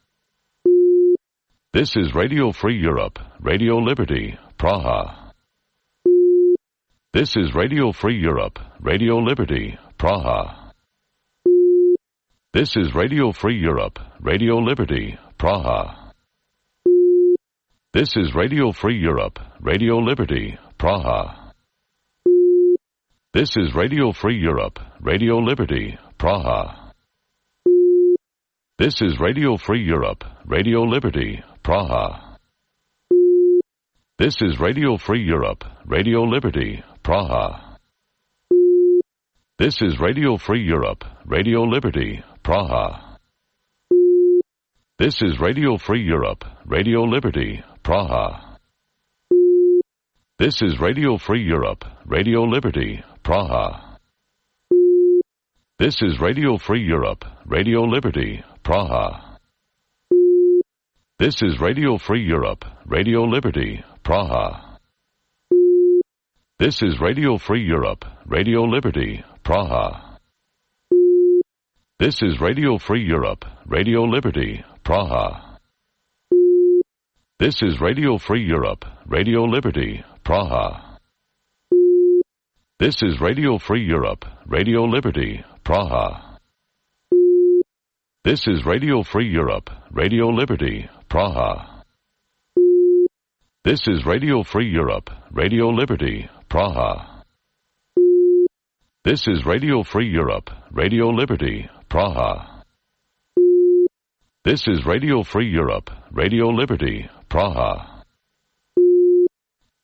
This is Radio Free Europe, Radio Liberty, Praha. This is Radio Free Europe, Radio Liberty, Praha. This is Radio Free Europe, Radio Liberty, Praha. This is Radio Free Europe, Radio Liberty, Praha. This is Radio Free Europe, Radio Liberty, Praha. This is Radio Free Europe, Radio Liberty, Praha. This is Radio Free Europe, Radio Liberty, Praha. This is Radio Free Europe, Radio Liberty, Praha. This is Radio Free Europe, Radio Liberty, Praha. This is Radio Free Europe, Radio Liberty, Praha. This is Radio Free Europe, Radio Liberty, Praha. This is Radio Free Europe, Radio Liberty, Praha. This is Radio Free Europe, Radio Liberty, Praha. This is Radio Free Europe, Radio Liberty, Praha. This is Radio Free Europe, Radio Liberty, Praha. This is Radio Free Europe, Radio Liberty, Praha. This is Radio Free Europe, Radio Liberty, Praha. This is Radio Free Europe, Radio Liberty, Praha. This is Radio Free Europe, Radio Liberty, Praha. This is Radio Free Europe, Radio Liberty, Praha.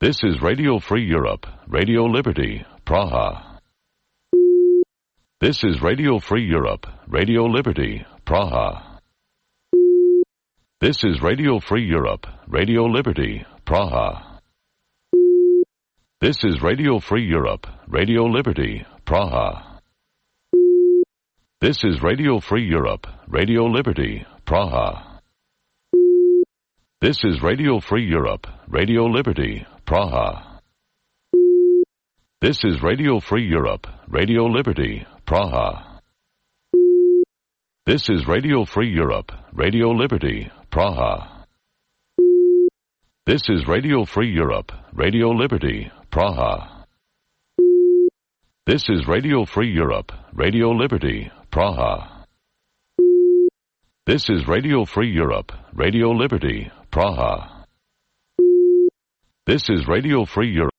This is Radio Free Europe, Radio Liberty, Praha. This is Radio Free Europe, Radio Liberty, Praha. This is Radio Free Europe, Radio Liberty, Praha. This is Radio Free Europe, Radio Liberty, Praha. This is Radio Free Europe, Radio Liberty, Praha. This is Radio Free Europe, Radio Liberty, Praha. This is Radio Free Europe, Radio Liberty, Praha. This is Radio Free Europe, Radio Liberty, Praha. This is Radio Free Europe, Radio Liberty, Praha. This is Radio Free Europe, Radio Liberty, Praha. This is Radio Free Europe, Radio Liberty, Praha. This is Radio Free Europe.